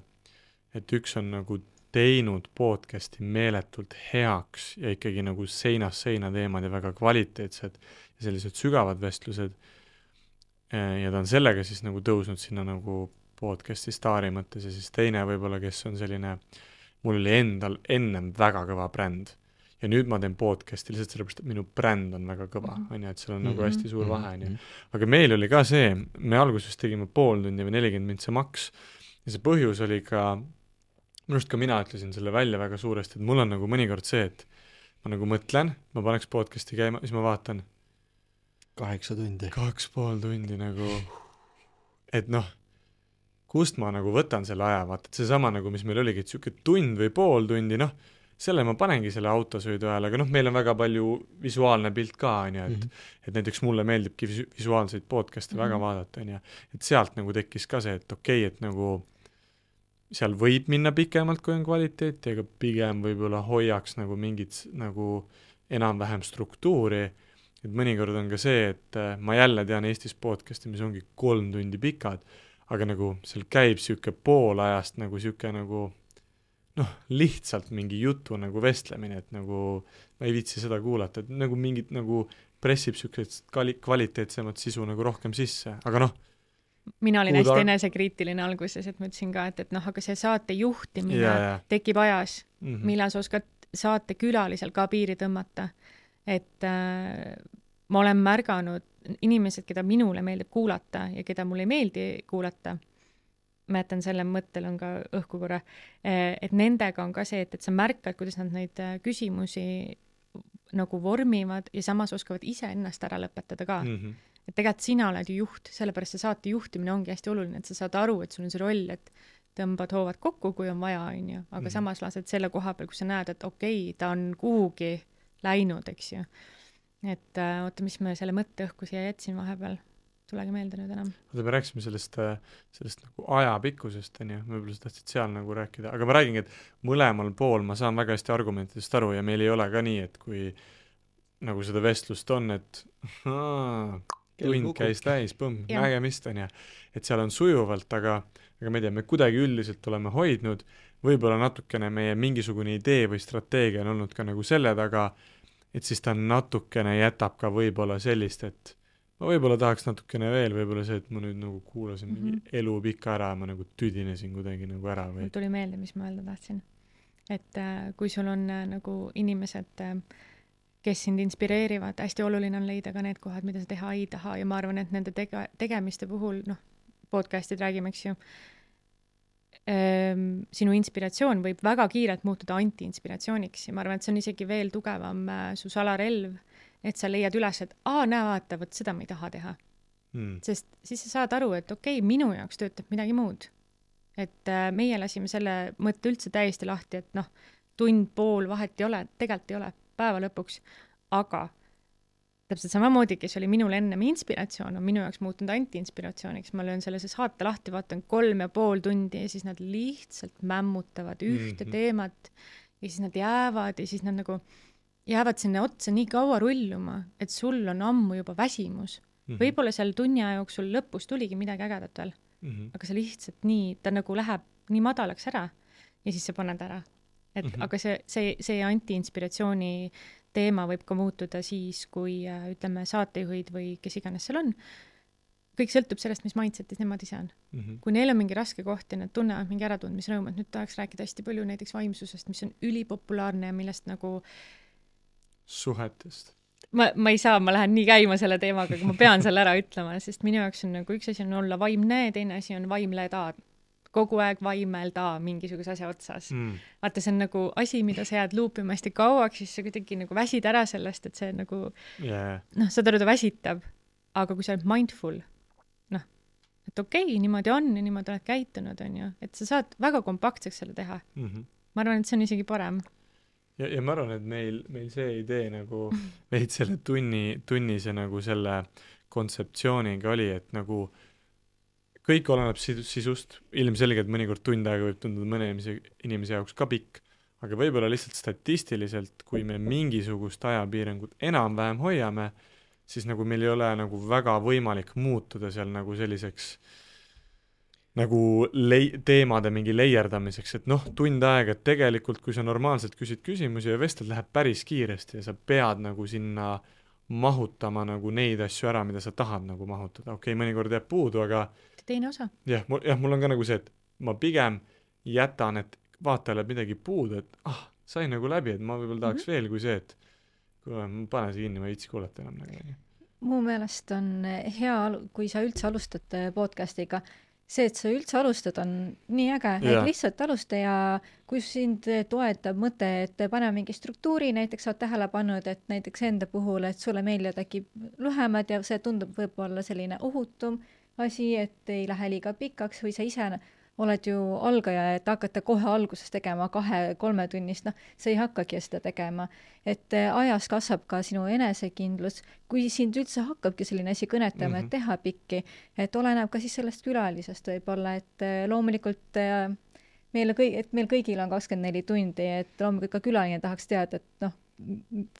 et üks on nagu teinud podcasti meeletult heaks ja ikkagi nagu seinast seina teemad ja väga kvaliteetsed ja sellised sügavad vestlused. Ja ta on sellega siis nagu tõusnud sinna nagu podcasti staari mõttes ja siis teine võib-olla, kes on selline, mul oli endal ennem väga kõva bränd ja nüüd ma teen podcasti lihtsalt sellepärast, et minu bränd on väga kõva, mm-hmm. on ju, et seal on mm-hmm. nagu hästi suur vahe, on ju. Aga meil oli ka see, me alguses tegime pool tundi või nelikümmend mind see maks ja see põhjus oli ka, minust ka mina ütlesin selle välja väga suuresti, et mul on nagu mõnikord see, et ma nagu mõtlen, ma paneks podcasti käima, siis ma vaatan kaheksa tundi. Kaks pool tundi nagu, et noh, kust ma nagu võtan selle aja, vaata, et see sama nagu, mis meil oligi, et siuke tund või pool tundi, noh, selle ma panengi selle autosõidu ajal, aga noh, meil on väga palju visuaalne pilt ka, on ju, et, mm-hmm. et näiteks mulle meeldibki visu- visuaalseid podcast'e mm-hmm. väga vaadata, on ju, et sealt nagu tekkis ka see, et okei, okay, et nagu seal võib minna pikemalt, kui on kvaliteeti, aga pigem võib-olla hoiaks nagu mingit nagu enam-vähem struktuuri, et mõnikord on ka see, et ma jälle tean Eestis podcast'i, mis ongi kolm tundi pikad, aga nagu seal käib siuke pool ajast nagu siuke nagu noh, lihtsalt mingi jutu nagu vestlemine, et nagu ma ei viitsi seda kuulata, et nagu mingit nagu pressib siukest kvali- kvaliteetsemat sisu nagu rohkem sisse, aga noh. Mina olin hästi enesekriitiline alguses, et ma ütlesin ka, et, et noh, aga see saate juhtimine yeah, yeah. tekib ajas, mm-hmm. millal sa oskad saate külalisel ka piiri tõmmata, et äh, ma olen märganud inimesed, keda minule meeldib kuulata ja keda mulle ei meeldi kuulata, ma jätan selle mõttel on ka õhku korra, et nendega on ka see, et, et sa märkad, kuidas nad neid küsimusi nagu vormivad ja samas oskavad ise ennast ära lõpetada ka. Mm-hmm. Et tegelikult sina oled ju juht, sellepärast see saate juhtimine ongi hästi oluline, et sa saad aru, et sul on see roll, et tõmbad hoovad kokku, kui on vaja, on ju, aga mm-hmm. samas lased selle koha peal, kus sa näed, et okei, okay, ta on kuhugi läinud, eks ju. Et äh, oota, mis me selle mõtte õhku siia jätsin vahepeal, tulegi meelde nüüd enam. Oota, me rääkisime sellest, sellest nagu ajapikkusest, on ju, võib-olla sa tahtsid seal nagu rääkida, aga ma räägingi, et mõlemal pool ma saan väga hästi argumentidest aru ja meil ei ole ka nii, et kui nagu seda vestlust on, et aa, tund käis täis, põmm, nägemist on ja, et seal on sujuvalt, aga, aga me teame, kuidagi üldiselt oleme hoidnud, võib-olla natukene meie mingisugune idee või strateegia on olnud ka nagu selle taga, et siis ta natukene jätab ka võib-olla sellist, et ma võib-olla tahaks natukene veel, võib-olla see, et ma nüüd nagu kuulasin mm-hmm. mingi elu pika ära, ma nagu tüdinesin kuidagi nagu ära või... Tuli meelde, mis ma öelda tahtsin. Et äh, kui sul on äh, nagu inimesed, äh, kes sind inspireerivad, hästi oluline on leida ka need kohad, mida sa teha ei taha ja ma arvan, et nende tege- tegemiste puhul, noh, podcastid räägime, eks ju, ähm, sinu inspiratsioon võib väga kiirelt muutuda anti-inspiratsiooniks ja ma arvan, et see on isegi veel tugevam äh, su salarelv, et sa leiad üles, et aa, näe vaata, võt seda ma ei taha teha. Hmm. Sest siis sa saad aru, et okei, okay, minu jaoks töötab midagi muud. Et äh, meie lasime selle mõtte üldse täiesti lahti, et noh, tund, pool vahet ei ole, tegelikult ei ole päeva lõpuks, aga täpselt samamoodi, kes oli minul ennem inspiratsioon, on minu jaoks muutunud anti-inspiratsiooniks. Ma löön selle saate lahti, vaatan kolm ja pool tundi ja siis nad lihtsalt mämmutavad ühte mm-hmm. teemat ja siis nad jäävad ja siis nad nagu jäävad sinna otsa nii kaua rulluma, et sul on ammu juba väsimus. Mm-hmm. Võib-olla seal tunni aja jooksul lõpus tuligi midagi ägedat veel, mm-hmm. aga see lihtsalt nii, ta nagu läheb nii madalaks ära ja siis sa paned ära. Et mm-hmm. aga see, see, see anti-inspiratsiooni teema võib ka muutuda siis, kui ütleme saatejuhid või kes iganes seal on. Kõik sõltub sellest, mis mindsetis nemad ise on. Mm-hmm. Kui neil on mingi raske koht ja nad tunnevad mingi äratundmisrõõm, et nüüd tahaks rääkida hästi palju näiteks vaimsusest, mis on ülipopulaarne ja millest nagu suhetest. Ma, ma ei saa, ma lähen nii käima selle teemaga, aga ma pean selle ära ütlema, sest minu jaoks on nagu üks asi on olla vaimne, teine asi on vaimleda. Kogu aeg vaimelda mingisuguse asja otsas. Mm. Vaata, see on nagu asi, mida sa jääd luupima hästi kauaks, siis sa kuidagi nagu väsid ära sellest, et see nagu yeah. noh, seda ta väsitab. Aga kui sa oled mindful, noh, et okei, okay, niimoodi on ja niimoodi oled käitunud, on ju, et sa saad väga kompaktseks selle teha. Mm-hmm. Ma arvan, et see on isegi parem. Ja, ja ma arvan, et meil, meil see idee nagu veid selle tunni, tunnise nagu selle kontseptsiooniga oli, et nagu kõik oleneb sisust, ilmselgelt mõnikord tund aega võib tunduda mõne inimese, inimese jaoks ka pikk, aga võib-olla lihtsalt statistiliselt, kui me mingisugust ajapiirangut enam-vähem hoiame, siis nagu meil ei ole nagu väga võimalik muutuda seal nagu selliseks nagu lei- teemade mingi leierdamiseks, et noh, tund aega, et tegelikult kui sa normaalselt küsid küsimusi ja vestled, läheb päris kiiresti ja sa pead nagu sinna mahutama nagu neid asju ära, mida sa tahad nagu mahutada. Okei, okay, mõnikord jääb puudu, aga teine osa. jah, mul, jah, mul on ka nagu see, et ma pigem jätan, et vaatajale midagi puudu, et ah, sai nagu läbi, et ma võib-olla tahaks mm-hmm. veel kui see, et kuule, ma panen see kinni, ma ei viitsi kuulata enam nagu. Mu meelest on hea, kui sa üldse alustad podcastiga, see, et sa üldse alustad, on nii äge, et lihtsalt alusta ja kui sind toetab mõte, et pane mingi struktuuri, näiteks sa oled tähele pannud, et näiteks enda puhul, et sulle meeldivad äkki lühemad ja see tundub võib-olla selline ohutum asi, et ei lähe liiga pikaks või sa ise oled ju algaja, et hakata kohe alguses tegema kahe-kolme tunnist, noh, sa ei hakkagi seda tegema. Et ajas kasvab ka sinu enesekindlus, kui sind üldse hakkabki selline asi kõnetama, mm-hmm. et teha pikki, et oleneb ka siis sellest külalisest võib-olla, et loomulikult meil, kõi, et meil kõigil on kakskümmend neli tundi, et loomulikult ka külaline tahaks teada, et noh,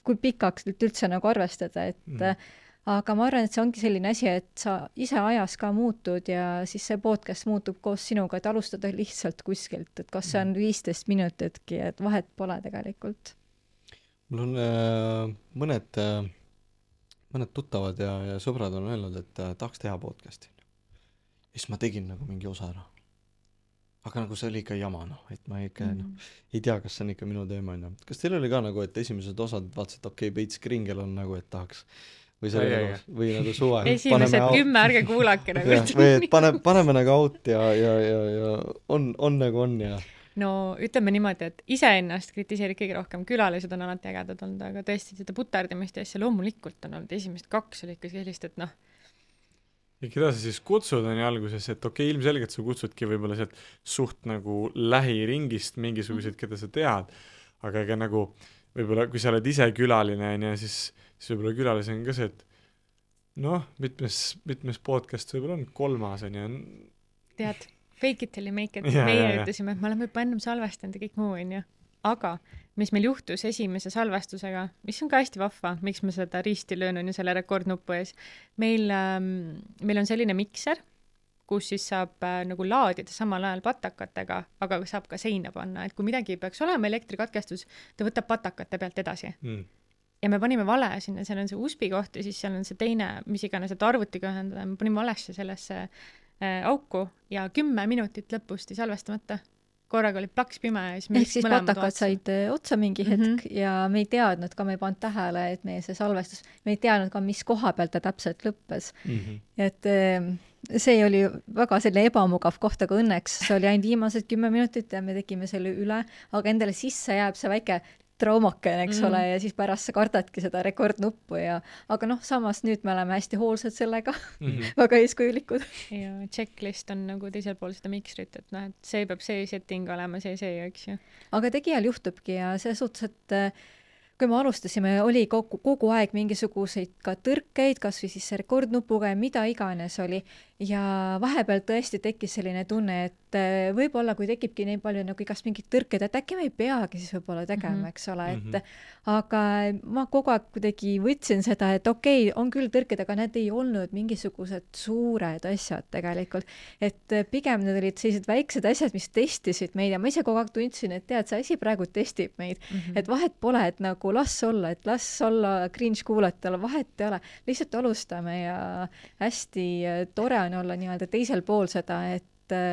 kui pikaks üldse nagu arvestada, et mm-hmm. aga ma arvan, et see ongi selline asi, et sa ise ajas ka muutud ja siis see podcast muutub koos sinuga, et alustada lihtsalt kuskilt, et kas see on viisteist minutitki, et vahet pole tegelikult. Mul on äh, mõned, äh, mõned tuttavad ja, ja sõbrad on öelnud, et äh, tahaks teha podcasti. Ja siis ma tegin nagu mingi osa ära. Aga nagu see oli ikka jama, noh, et ma ikka mm. no, ei tea, kas see on ikka minu teema. No. Kas teil oli ka nagu, et esimesed osad vaatasid, et okei, okay, Peits Kringel on nagu, et tahaks või, selle, ai, ai, või nagu suve esimesed kümme ärge kuulake nagu ja, või et pane, paneme nagu out ja, ja, ja, ja on, on nagu on ja no ütleme niimoodi, et iseennast kritiseerid kõige rohkem, külalised on alati ägedad olnud, aga tõesti seda puterdamist ja asja loomulikult on olnud esimesed kaks oli ikka sellist, et noh ja keda sa siis kutsud on ju alguses, et okei okay,, ilmselgelt sa kutsudki võib-olla sealt suht nagu lähiringist mingisuguseid, keda sa tead, aga ega nagu võib-olla kui sa oled ise külaline on ja siis siis võib-olla külalise on ka see, et noh, mitmes, mitmes podcast võib-olla on kolmas on ja tead, fake it till you make it, ja, meie ja, ütlesime, et me oleme juba ennem salvestanud ja kõik muu on ju, aga mis meil juhtus esimese salvestusega, mis on ka hästi vahva, miks me seda risti löönud ja selle rekordnupu ees, meil, ähm, meil on selline mikser, kus siis saab äh, nagu laadida samal ajal patakatega, aga saab ka seina panna, et kui midagi peaks olema elektrikatkestus, ta võtab patakate pealt edasi mm. ja me panime vale sinna, seal on see U S B-i koht ja siis seal on see teine, mis iganes, et arvutiga ühendada, me panime valesse sellesse äh, auku ja kümme minutit lõpusti salvestamata. Korraga oli plaks pime ja siis me ehk siis patakad said otsa mingi hetk mm-hmm. ja me ei teadnud ka, me ei pannud tähele, et meie see salvestus, me ei teadnud ka, mis koha pealt ta täpselt lõppes. Mm-hmm. Et see oli väga selline ebamugav koht, aga õnneks see oli ainult viimased kümme minutit ja me tegime selle üle, aga endale sisse jääb see väike traumakene, eks mm. ole, ja siis pärast sa kardadki seda rekordnuppu ja aga noh, samas nüüd me oleme hästi hoolsad sellega mm-hmm. väga eeskujulikud. Ja checklist on nagu teisel pool seda miksrit, et noh, et see peab see setting olema, see see, eks ju. Aga tegijal juhtubki ja see suhtes, et kui me alustasime, oli kogu, kogu aeg mingisuguseid ka tõrkeid, kas või siis rekordnupuga ja mida iganes oli ja vahepeal tõesti tekkis selline tunne, et võib-olla kui tekibki nii palju nagu igast mingid tõrked, et äkki me ei peagi siis võib-olla tegema, mm-hmm. eks ole, et mm-hmm. aga ma kogu aeg kuidagi võtsin seda, et okei, okay, on küll tõrked, aga need ei olnud mingisugused suured asjad tegelikult, et pigem need olid sellised väiksed asjad, mis testisid meid ja ma ise kogu aeg tundsin, et tead, see asi praegu testib meid, mm-hmm. et vahet pole, et nagu las olla, et las olla cringe kuulata, vahet ei ole, lihtsalt alustame ja hästi tore on olla nii-öelda teisel pool seda, et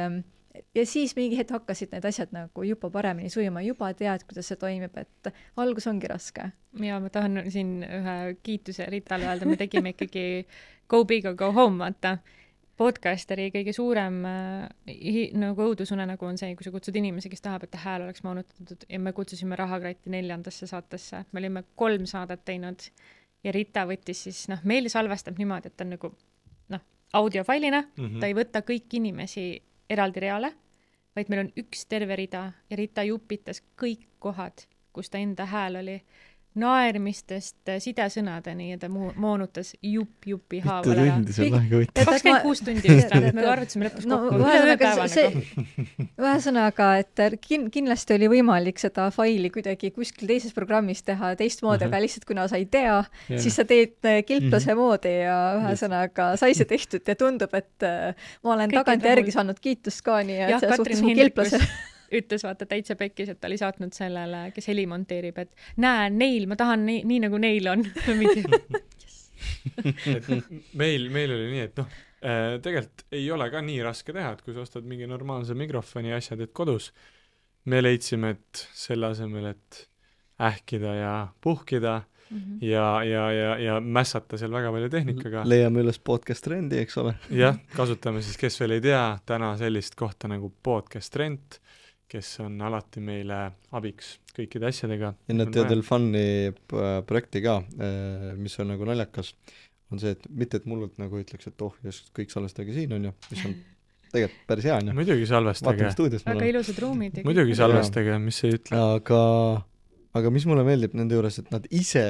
ja siis mingi hetk hakkasid need asjad nagu juba paremini sujuma, juba tead, kuidas see toimib, et algus ongi raske. Ja ma tahan siin ühe kiituse Ritale öelda, me tegime ikkagi go big or go home, vaata. Podcasteri kõige suurem äh, nagu õudusunenägu on see, kui sa kutsud inimesi, kes tahab, et ta hääl oleks moonutatud ja me kutsusime Rahakratti neljandasse saatesse. Me olime kolm saadet teinud ja Rita võttis siis, noh, meil salvestab niimoodi, et ta on nagu, noh, audiofailina, mm-hmm. ta ei võta kõik inimesi eraldi reale, vaid meil on üks terve rida ja Rita jupitas kõik kohad, kus ta enda hääl oli naermistest sidesõnadeni ja ta mu- moonutas jupp jupi mitu haaval ära. tundi see on väga huvitav. kakskümmend kuus tundi vist, me arvutasime lõpus no, kokku, üle ühe ühesõnaga, päeva see, nagu. ühesõnaga, et kin-, kindlasti oli võimalik seda faili kuidagi kuskil teises programmis teha teistmoodi, Mhm. aga lihtsalt kuna sa ei tea, Jah. siis sa teed äh, kilplase Mhm. moodi ja ühesõnaga sai see tehtud ja tundub, et äh, ma olen Kõik tagantjärgi jäid saanud kiitust ka, nii et jah, selles Katrin suhtes mu Hindrikus kilplase ütles vaata täitsa pekkis, et ta oli saatnud sellele, kes heli monteerib, et näe, neil, ma tahan nii, nii nagu neil on. et meil, meil oli nii, et noh, tegelikult ei ole ka nii raske teha, et kui sa ostad mingi normaalse mikrofoni ja asjad, et kodus, me leidsime, et selle asemel, et ähkida ja puhkida Mhm. ja, ja, ja, ja mässata seal väga palju tehnikaga. leiame üles podcast trendi, eks ole. jah, kasutame siis, kes veel ei tea, täna sellist kohta nagu podcast trend, kes on alati meile abiks kõikide asjadega. ja nad teevad veel fun'i p- projekti ka, mis on nagu naljakas, on see, et mitte, et mullult nagu ütleks, et oh, just kõik salvestage siin, on ju, mis on tegelikult päris hea, on ju. muidugi salvestage, vaatame stuudios väga mulle. ilusad ruumid. muidugi salvestage, mis ei ütle. aga, aga mis mulle meeldib nende juures, et nad ise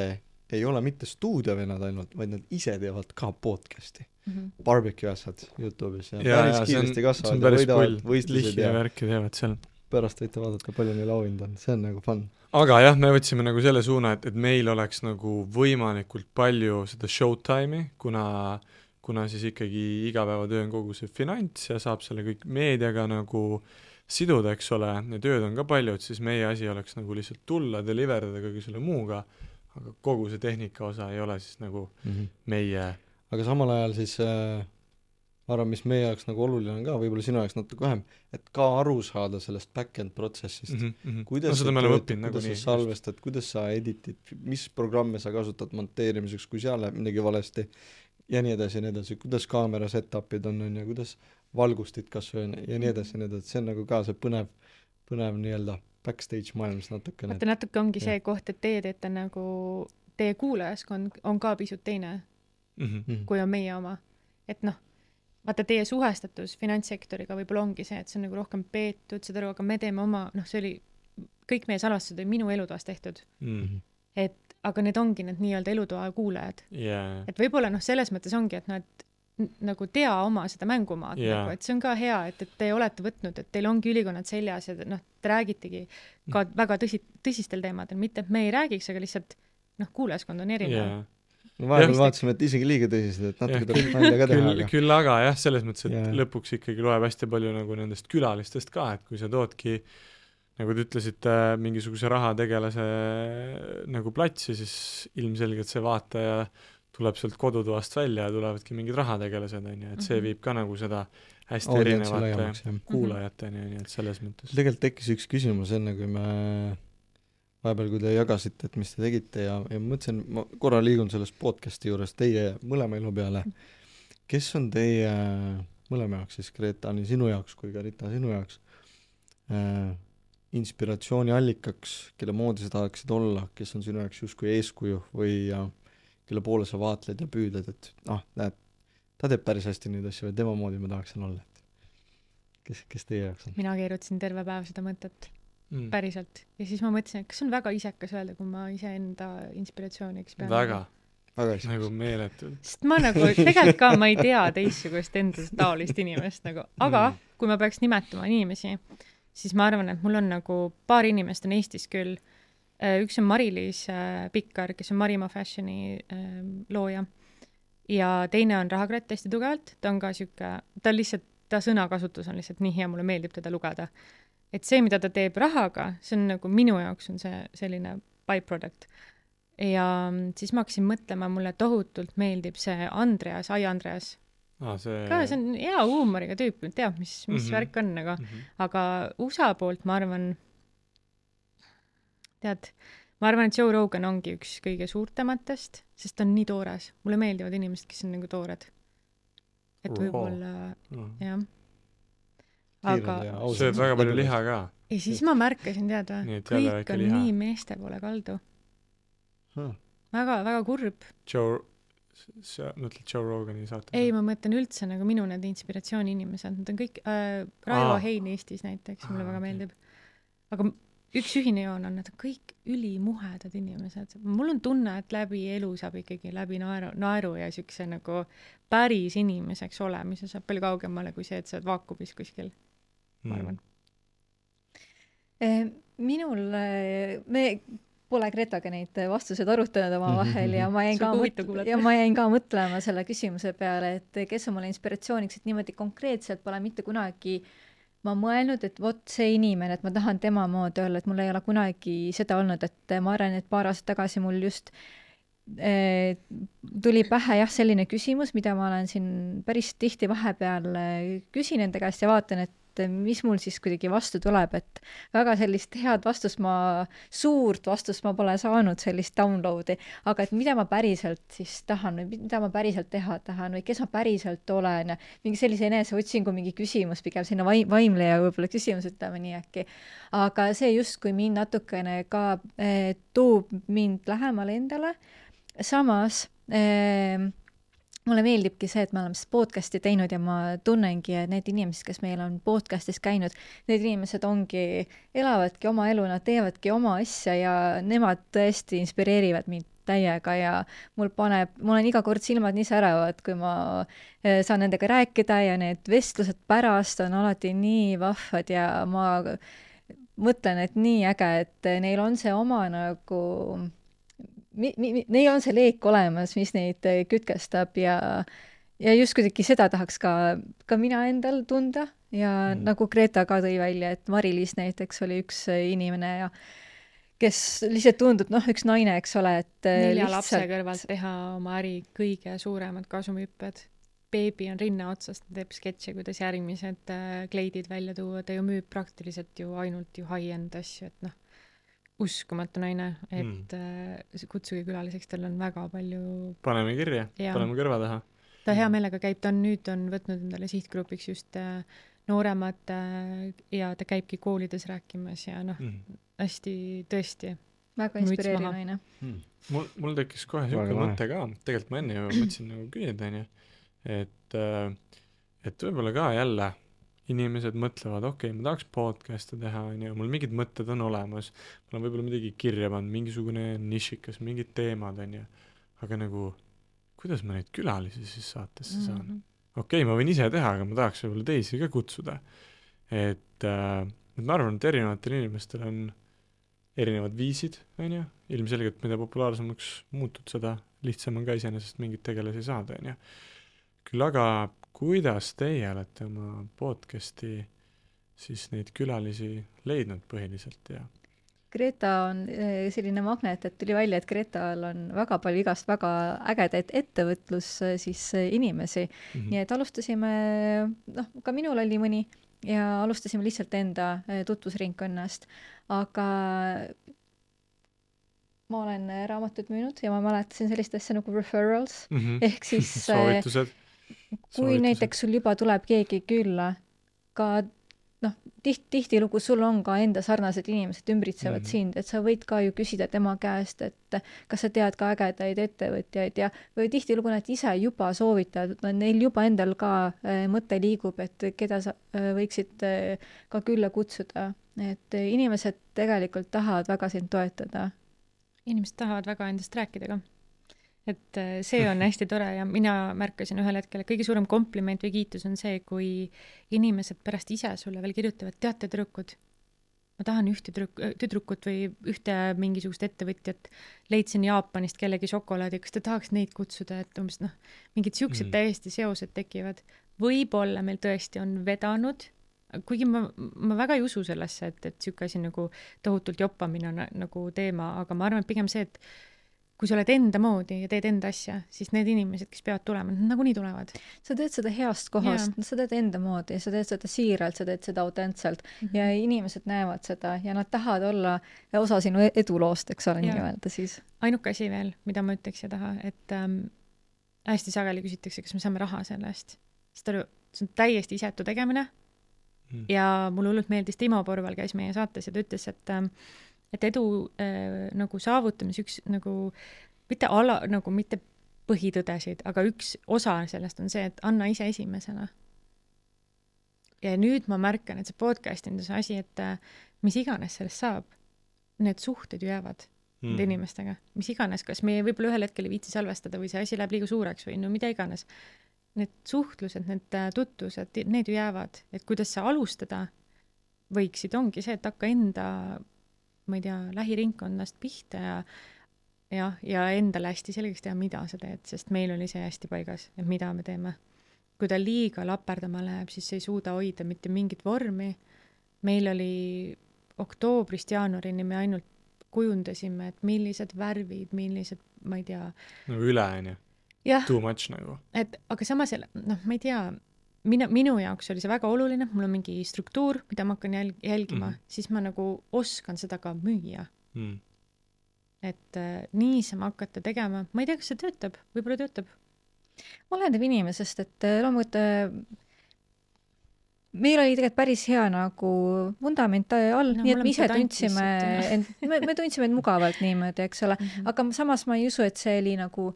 ei ole mitte stuudiovennad ainult, vaid nad ise teevad ka podcasti. Mhm. Barbecue asjad YouTube'is ja, ja, päris ja see on, kiiresti see on kasvavad ja päris võidavad pull, võistlused lihhi ja ja värki teevad seal. pärast võite vaadata, palju neil auhind on, see on nagu fun. aga jah, me võtsime nagu selle suuna, et, et meil oleks nagu võimalikult palju seda showtime'i, kuna, kuna siis ikkagi igapäevatöö on kogu see finants ja saab selle kõik meediaga nagu siduda, eks ole, ja tööd on ka palju, et siis meie asi oleks nagu lihtsalt tulla, deliverdada kõige selle muuga, aga kogu see tehnika osa ei ole siis nagu mm. -hmm. meie aga samal ajal siis äh, ma arvan, mis meie jaoks nagu oluline on ka, võib-olla sinu jaoks natuke vähem, et ka aru saada sellest back-end protsessist mm. -hmm. kuidas no seda me oleme õppinud kuidas nagunii. sa salvestad, kuidas sa editid, mis programme sa kasutad monteerimiseks, kui seal läheb midagi valesti ja nii edasi ja nii edasi, kuidas kaamera set-up'id on, on ja kuidas valgustid kas või on ja nii edasi ja nii edasi, see on nagu ka see põnev, põnev nii-öelda backstage maailmas natukene. vaata, natuke ongi see koht, et teie teete nagu, teie kuulajaskond on ka pisut teine, mm. -hmm. kui on meie oma. et noh, vaata teie suhestatus finantssektoriga võib-olla ongi see, et see on nagu rohkem peetud, seda aru, aga me teeme oma, noh, see oli, kõik meie salvestused oli minu elutoas tehtud. Mm. -hmm. et aga need ongi need nii-öelda elutoa kuulajad yeah. et võib-olla noh, selles mõttes ongi, et nad nagu tea oma seda mängumaad yeah. nagu, et see on ka hea, et, et te olete võtnud, et teil ongi ülikonnad seljas ja noh, te räägitegi ka väga tõsi, tõsistel teemadel, mitte et me ei räägiks, aga lihtsalt noh, kuulajaskond on erinev yeah. no vahepeal Ja, vaatasime, et isegi liiga tõsised, et natuke jah, tuleb nalja ka teha, küll, aga küll aga jah, selles mõttes, et Jaa. lõpuks ikkagi loeb hästi palju nagu nendest külalistest ka, et kui sa toodki, nagu te ütlesite, mingisuguse rahategelase nagu platsi, siis ilmselgelt see vaataja tuleb sealt kodutoast välja ja tulevadki mingid rahategelased, on ju, et see Mhm. viib ka nagu seda hästi audientsi erinevate laiemaks, jah. kuulajateni, on ju, et selles mõttes. tegelikult tekkis üks küsimus enne, kui me vahepeal, kui te jagasite, et mis te tegite ja, ja ma mõtlesin, ma korra liigun sellest podcasti juures teie mõlema elu peale. kes on teie mõlema jaoks siis, Greta, nii sinu jaoks kui ka Rita sinu jaoks äh, inspiratsiooniallikaks, kelle moodi sa tahaksid olla, kes on sinu jaoks justkui eeskuju või ja, kelle poole sa vaatled ja püüdled, et ah, näed, ta teeb päris hästi neid asju ja tema moodi ma tahaksin olla, et kes, kes teie jaoks on? mina keerutasin terve päev seda mõtet mm. päriselt ja siis ma mõtlesin, et kas on väga isekas öelda, kui ma iseenda inspiratsiooniks pean väga, väga hästi. nagu meeletult. sest ma nagu tegelikult ka ma ei tea teistsugust enda taolist inimest nagu, aga Mm. kui ma peaks nimetama inimesi, siis ma arvan, et mul on nagu paar inimest on Eestis küll. Üks on Mari-Liis Pikkar, kes on Marima Fashioni looja ja teine on Rahakratt hästi tugevalt, ta on ka siuke, ta lihtsalt, ta sõnakasutus on lihtsalt nii hea, mulle meeldib teda lugeda. Et see, mida ta teeb rahaga, see on nagu minu jaoks on see selline byproduct. Ja siis ma hakkasin mõtlema, mulle tohutult meeldib see Andreas, Ai Andreas. Ah, see... ka see on hea huumoriga tüüp, teab, mis, mis Mm-hmm. värk on nagu. Mm-hmm. Aga U S A poolt ma arvan, tead, ma arvan, et Joe Rogan ongi üks kõige suurtematest, sest ta on nii toores. Mulle meeldivad inimesed, kes on nagu toored. Et Raw. võib-olla, Mm. jah. Kiired Aga ja ausad. sööd väga palju liha ka. ja siis ma märkasin, tead Nii või, et jälle kõik väike on liha. nii meeste poole kaldu. Huh. Väga, väga kurb. Joe, sa mõtled Joe Rogani saate? Ei, ma mõtlen üldse nagu minu need inspiratsiooni inimesed, nad on kõik äh, Raivo Aa. Hein Eestis näiteks, mulle Aa, väga okei. meeldib. Aga üks ühine joon on, et kõik ülimuhedad inimesed. Mul on tunne, et läbi elu saab ikkagi läbi naeru, naeru ja siukse nagu päris inimeseks olemise saab palju kaugemale kui see, et sa oled vaakumis kuskil, ma arvan. Mm. Minul, me pole Gretaga neid vastused arutanud oma vahel ja ma jäin ka, mõt- ja ma jäin ka mõtlema selle küsimuse peale, et kes on mulle inspiratsiooniks, et niimoodi konkreetselt pole mitte kunagi ma mõelnud, et vot see inimene, et ma tahan tema moodi olla, et mul ei ole kunagi seda olnud, et ma arvan, et paar aastat tagasi mul just eh, tuli pähe jah, selline küsimus, mida ma olen siin päris tihti vahepeal küsin enda käest ja vaatan, et mis mul siis kuidagi vastu tuleb, et väga sellist head vastust ma, suurt vastust ma pole saanud, sellist downloadi, aga et mida ma päriselt siis tahan või mida ma päriselt teha tahan või kes ma päriselt olen, mingi sellise eneseotsingu mingi küsimus, pigem sinna vaim, vaimleja võib-olla küsimus, ütleme nii äkki. Aga see justkui mind natukene ka eh, toob mind lähemale endale, samas eh, mulle meeldibki see, et me oleme podcasti teinud ja ma tunnengi, et need inimesed, kes meil on podcastis käinud, need inimesed ongi, elavadki oma elu, nad teevadki oma asja ja nemad tõesti inspireerivad mind täiega ja mul paneb, mul on iga kord silmad nii säravad, kui ma saan nendega rääkida ja need vestlused pärast on alati nii vahvad ja ma mõtlen, et nii äge, et neil on see oma nagu Mi, mi, neil on see leek olemas, mis neid kütkestab ja, ja just kuidagi seda tahaks ka, ka mina endal tunda ja mm. nagu Greta ka tõi välja, et Mari-Liis näiteks oli üks inimene ja kes lihtsalt tundub, noh, üks naine, eks ole, et nelja lihtsalt... lapse kõrvalt teha oma äri kõige suuremad kasumhüpped. Beebi on rinna otsast, ta teeb sketše, kuidas järgmised kleidid välja tuua, ta ju müüb praktiliselt ju ainult ju high-end asju, et noh, uskumatu naine, et mm. kutsuge külaliseks, tal on väga palju... Paneme kirja, ja. Paneme kõrva taha. Ta hea meelega käib, ta on nüüd on võtnud endale sihtgrupiks just nooremad ja ta käibki koolides rääkimas ja noh, mm. hästi tõesti. Väga inspireeriv naine. Mm. Mul, mul tekkis kohe siuke mõte ka, tegelikult ma enne ju mõtlesin nagu küsida, et, et võib-olla ka jälle inimesed mõtlevad, okei okay,, ma tahaks podcast'e teha, ja mul mingid mõtted on olemas, mul on võib-olla midagi kirja pannud, mingisugune nišikas, mingid teemad, on ju, aga nagu, kuidas ma neid külalisi siis saatesse saan? Mm -hmm. Okei okay,, ma võin ise teha, aga ma tahaks võib-olla teisi ka kutsuda. Et, äh, et ma arvan, et erinevatel inimestel on erinevad viisid, on ju, ilmselgelt mida populaarsemaks muutud, seda lihtsam on ka iseenesest mingit tegelasi saada, on ju. Küll aga kuidas teie olete oma podcasti siis neid külalisi leidnud põhiliselt ja? Greta on selline magnet, et tuli välja, et Gretal on väga palju igast väga ägedaid ettevõtlus siis inimesi. Mm -hmm. Nii et alustasime, noh, ka minul oli mõni ja alustasime lihtsalt enda tutvusringkonnast, aga ma olen raamatud müünud ja ma mäletasin sellist asja nagu referrals, mm -hmm. ehk siis soovitused. kui Soovitused. Näiteks sul juba tuleb keegi külla, ka noh, tiht, tihtilugu sul on ka enda sarnased inimesed ümbritsevad mm. sind, et sa võid ka ju küsida tema käest, et kas sa tead ka ägedaid ettevõtjaid ja või tihtilugu nad ise juba soovitavad, neil juba endal ka äh, mõte liigub, et keda sa äh, võiksid äh, ka külla kutsuda, et äh, inimesed tegelikult tahavad väga sind toetada. Inimesed tahavad väga endast rääkida ka. Et see on hästi tore ja mina märkasin ühel hetkel, et kõige suurem kompliment või kiitus on see, kui inimesed pärast ise sulle veel kirjutavad, teate tüdrukud, ma tahan ühte tüdruk, tüdrukut või ühte mingisugust ettevõtjat, leidsin Jaapanist kellegi šokolaadi, kas te tahaks neid kutsuda, et umbes noh, mingid siuksed mm. täiesti seosed tekivad. Võib-olla meil tõesti on vedanud, kuigi ma, ma väga ei usu sellesse, et, et siuke asi nagu tohutult joppamine on nagu teema, aga ma arvan, et pigem see, et kui sa oled enda moodi ja teed enda asja, siis need inimesed, kes peavad tulema, nad nagunii tulevad. Sa teed seda heast kohast, sa teed enda moodi, sa teed seda siiralt, sa teed seda autentselt mm -hmm. ja inimesed näevad seda ja nad tahavad olla osa sinu eduloost, eks ole, nii öelda siis. Ainuke asi veel, mida ma ütleks ja taha, et ähm, hästi sageli küsitakse, kas me saame raha selle eest. See on täiesti isetu tegemine mm. ja mulle hullult meeldis, Timo Porval käis meie saates ja ta ütles, et ähm, et edu äh, nagu saavutamise üks nagu mitte ala, nagu mitte põhitõdesid, aga üks osa sellest on see, et anna ise esimesena. Ja nüüd ma märkan, et see podcast on see asi, et äh, mis iganes sellest saab, need suhted ju jäävad mm. nende inimestega, mis iganes, kas me võib-olla ühel hetkel ei viitsi salvestada või see asi läheb liiga suureks või no mida iganes. Need suhtlused, need tutvused, need ju jäävad, et kuidas sa alustada võiksid, ongi see, et hakka enda, ma ei tea, lähiringkonnast pihta ja ja, ja endale hästi selgeks teha, mida sa teed, sest meil oli see hästi paigas, et mida me teeme. Kui ta liiga laperdama läheb, siis ei suuda hoida mitte mingit vormi. Meil oli oktoobrist jaanuarini me ainult kujundasime, et millised värvid, millised, ma ei tea. Nagu üle, on ju. Too much nagu. Et, aga samas, noh, ma ei tea, minu, minu jaoks oli see väga oluline, mul on mingi struktuur, mida ma hakkan jälg- jälgima, mm. siis ma nagu oskan seda ka müüa. Mm. Et äh, niisama hakata tegema, ma ei tea, kas see töötab, võib-olla töötab. Oleneb inimesest, et loomulikult meil oli tegelikult päris hea nagu vundament all, no, nii et me ise tundsime, end, me, me tundsime end mugavalt niimoodi, eks ole, mm-hmm. aga samas ma ei usu, et see oli nagu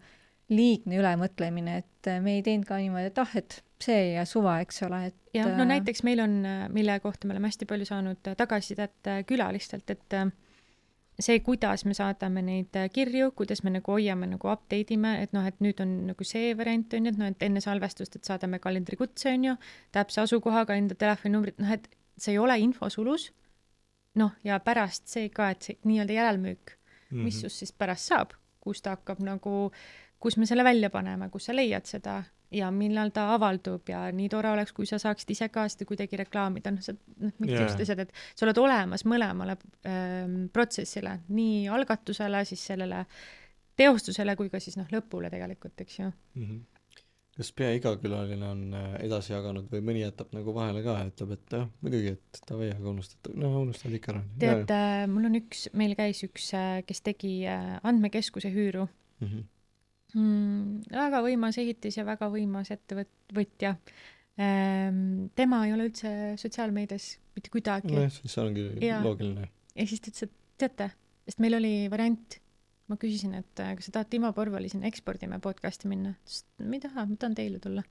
liigne ülemõtlemine, et me ei teinud ka niimoodi, et ah, et see ja suva, eks ole. Et, ja no näiteks meil on, mille kohta me oleme hästi palju saanud tagasisidet külalistelt, et see, kuidas me saadame neid kirju, kuidas me nagu hoiame, nagu update ime, et noh, et nüüd on nagu see variant on, et noh, et enne salvestust, et saadame kalendrikutse on ju, täpse asukohaga, enda telefoninumbrit, noh, et see ei ole infosulus, noh, ja pärast see ka, et see nii-öelda järelmüük, mm-hmm. mis just siis pärast saab, kus ta hakkab nagu, kus me selle välja paneme, kus sa leiad seda ja millal ta avaldub ja nii tore oleks, kui sa saaksid ise ka seda kuidagi reklaamida, noh, sa, noh, mingid yeah. asjad, et sa oled olemas mõlemale ähm, protsessile, nii algatusele, siis sellele teostusele, kui ka siis noh, lõpule tegelikult, eks ju. Mm-hmm. Kas pea iga külaline on edasi jaganud või mõni jätab nagu vahele ka, ütleb, et jah, muidugi, et ta või aga unustad, no unustad ikka ära. Tead, äh, mul on üks, meil käis üks, kes tegi äh, andmekeskuse hüüru. Mm-hmm. Mm, väga võimas ehitis ja väga võimas ettevõtja. Ehm, tema ei ole üldse sotsiaalmeedias mitte kuidagi. No, siis see ongi ja. loogiline. Ja siis ta ütles, et teate, sest meil oli variant, ma küsisin, et kas sa tahad Timo Porvali sinna ekspordime podcasti minna, sest ma ei taha, ma tahan teile tulla.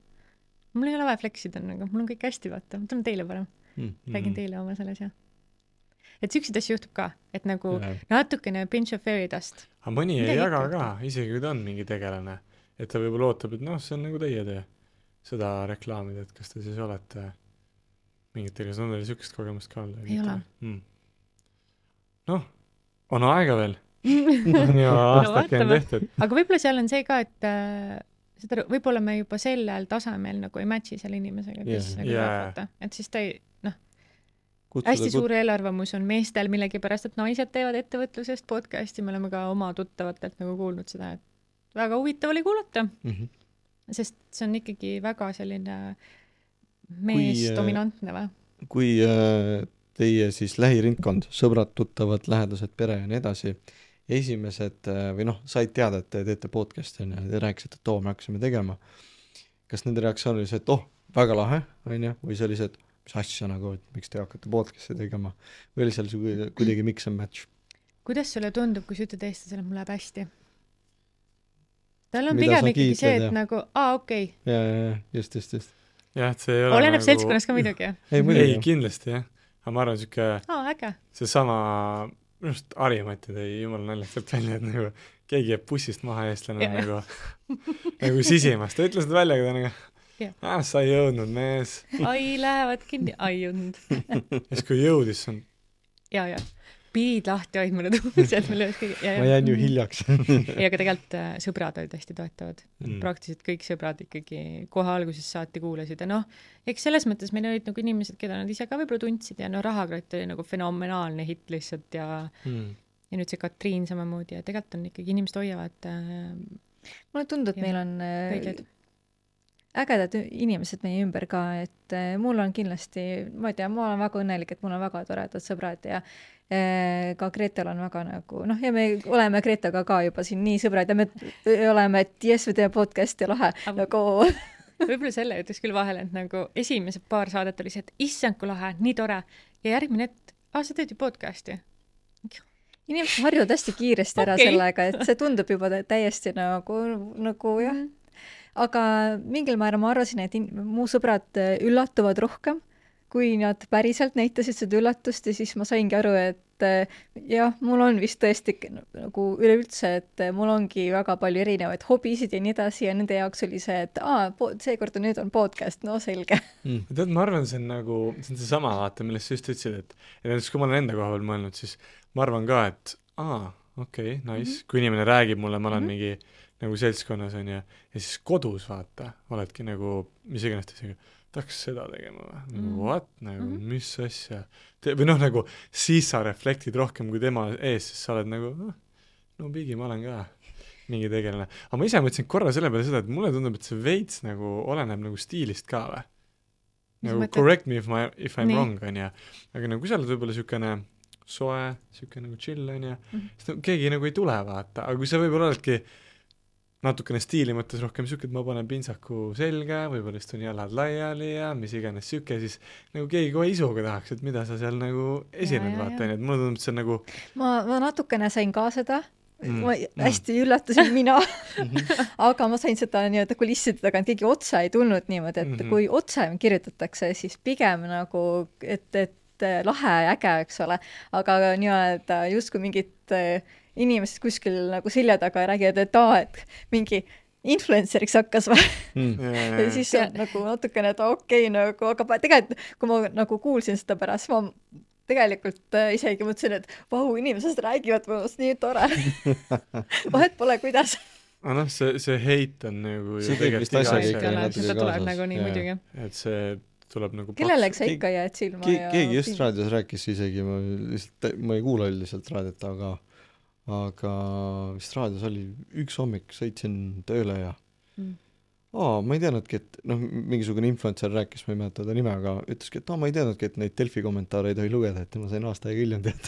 Mul ei ole vaja fleksida, nagu, mul on kõik hästi vaata, ma tahan teile parem. Mm, räägin mm. teile oma selles ja. Et süksid asju juhtub ka, et nagu ja. natukene pinch of fairy dust. Aga mõni ei jaga ka, isegi kui ta on mingi tegelane. Et ta võib-olla ootab, et noh, see on nagu teie tee seda reklaamida, et kas te siis olete mingitel, kas on teil sükest kogemust ka olnud? Ei ole. Mm. Noh, on aega veel. on ju aastake on tehtud. Aga võib-olla seal on see ka, et äh, seda, võib-olla me juba sellel tasemel nagu ei matchi selle inimesega, kes yeah. nagu yeah. vaata. Et siis ta ei, noh, Kutsuda, hästi kut... suur eelarvamus on meestel millegipärast, et naised teevad ettevõtlusest podcasti, me oleme ka oma tuttavatelt nagu kuulnud seda, et väga huvitav oli kuulata, mm-hmm. sest see on ikkagi väga selline mees kui, dominantne või? Kui äh, teie siis lähiringkond, sõbrad, tuttavad, lähedased, pere ja nii edasi, esimesed äh, või noh, said teada, et te teete podcasti ja te rääkisite, et too me hakkasime tegema. Kas nende reaktsioon oli see, et oh, väga lahe, on ju, või see oli see, et mis asja nagu, et miks te hakkate podcasti tegema või oli seal kuidagi mix and match? Kuidas sulle tundub, kui sa ütled eestlasele, mul läheb hästi? Tal on Mida pigem ikkagi see, et ja. nagu, aa, okei. Okay. Ja, ja, just, just, just. Ja, et see ei ole Oleneb nagu... seltskonnas ka midagi, jah? Ei, ei, kindlasti, jah. Aga ma arvan, siuke... Aa, äge. See sama, just Harimati tõi jumala naljakalt välja, et nagu keegi jääb bussist maha eestlane ja. nagu, nagu sisimas. Ta ütles seda välja, aga ta nagu... Ah, sa ei jõudnud, mees. Ai, lähevad kinni. Ai, jõudnud. Ja siis kui jõudis, on... Ja, ja. Piid lahti hoid mulle tuumised. Ma jään ju hiljaks. Ja aga tegelikult sõbrad olid hästi toetavad. Mm. Praktiliselt kõik sõbrad ikkagi kohe alguses saati kuulasid. Ja noh, eks selles mõttes meil olid nagu inimesed, keda nad ise ka võib-olla tundsid ja no Rahakrott oli nagu fenomenaalne hit lihtsalt ja, mm. ja nüüd see Katriin samamoodi ja tegelikult on ikkagi inimesed hoiavad äh, mulle tundub, et meil on äh, ägedad inimesed meie ümber ka, et äh, mul on kindlasti, ma ei tea, ma olen väga õnnelik, et mul on väga toredad sõbrad ja äh, ka Gretel on väga nagu, noh, ja me oleme Gretaga ka juba siin nii sõbrad ja me oleme, et jess, me teeme podcasti lahe, Aga... nagu võib-olla selle ütleks küll vahele, et nagu esimesed paar saadet oli see, et issand kui lahe, nii tore ja järgmine, et ah, sa teed ju podcasti. Inimesed harjuvad hästi kiiresti ära okay. sellega, et see tundub juba täiesti nagu, nagu jah. Mm. Aga mingil määral ma arvasin, et in- mu sõbrad üllatuvad rohkem, kui nad päriselt näitasid seda üllatust ja siis ma saingi aru, et et jah, mul on vist tõesti nagu üleüldse, et mul ongi väga palju erinevaid hobisid ja nii edasi ja nende jaoks oli see, et aa, seekord on nüüd on podcast, no selge mm.. tead, ma arvan, see on nagu, see on see sama vaata, millest sa just ütlesid, et ja näiteks kui ma olen enda koha peal mõelnud, siis ma arvan ka, et aa, okei okay,, nice mm, -hmm. kui inimene räägib mulle, ma olen mm -hmm. mingi nagu seltskonnas on ja, ja siis kodus vaata, oledki nagu mis iganes teisega, tahaks seda tegema või? Nagu mm. what? Nagu mm -hmm. mis asja? Või noh, nagu siis sa reflektid rohkem kui tema ees, siis sa oled nagu no, no pigi, ma olen ka mingi tegelane. Aga ma ise mõtlesin korra selle peale seda, et mulle tundub, et see veits nagu oleneb nagu stiilist ka või? Nagu correct me if, ma, if I'm Nii. wrong, on ja. Aga nagu kui sa oled võib-olla siukene soe, siukene nagu chill, on ja, mm -hmm. siis no, keegi nagu ei tule vaata. Aga kui sa võib-olla oledki natukene stiili mõttes rohkem siuke, et ma panen pintsaku selga, võib-olla istun jalad laiali ja mis iganes siuke, siis nagu keegi kohe isuga tahaks, et mida sa seal nagu esined, vaata, nii et mulle tundub, et see on nagu ma, ma natukene sain ka seda, mm, ma hästi mm. üllatasin mina aga ma sain seda nii-öelda kulisside tagant, keegi otse ei tulnud niimoodi, et mm -hmm. kui otse kirjutatakse, siis pigem nagu, et, et lahe ja äge, eks ole, aga nii-öelda justkui mingit inimesed kuskil nagu selja taga räägivad, et aa, et mingi influenceriks hakkas või mm. ja siis on nagu natukene, et okei okay, nagu, aga tegelikult kui ma nagu kuulsin seda pärast, ma tegelikult äh, isegi mõtlesin, et vau, inimesed räägivad minust nii tore vahet pole, kuidas aga noh, see, see heit on nagu see tegelikult asja seda tuleb nagu nii muidugi, et see tuleb nagu kellelegi sa ikka jääd silma Ke ja keegi just raadios rääkis isegi, ma lihtsalt, ma ei kuula üldiselt raadiot, aga aga vist raadios oli üks hommik, sõitsin tööle ja mm. aa, ma ei teadnudki, et noh, mingisugune influencer rääkis, ma ei mäleta ta nime, aga ütleski, et aa, ma ei teadnudki, et neid Delfi kommentaare ei tohi lugeda, et ma sain aasta aega hiljem teada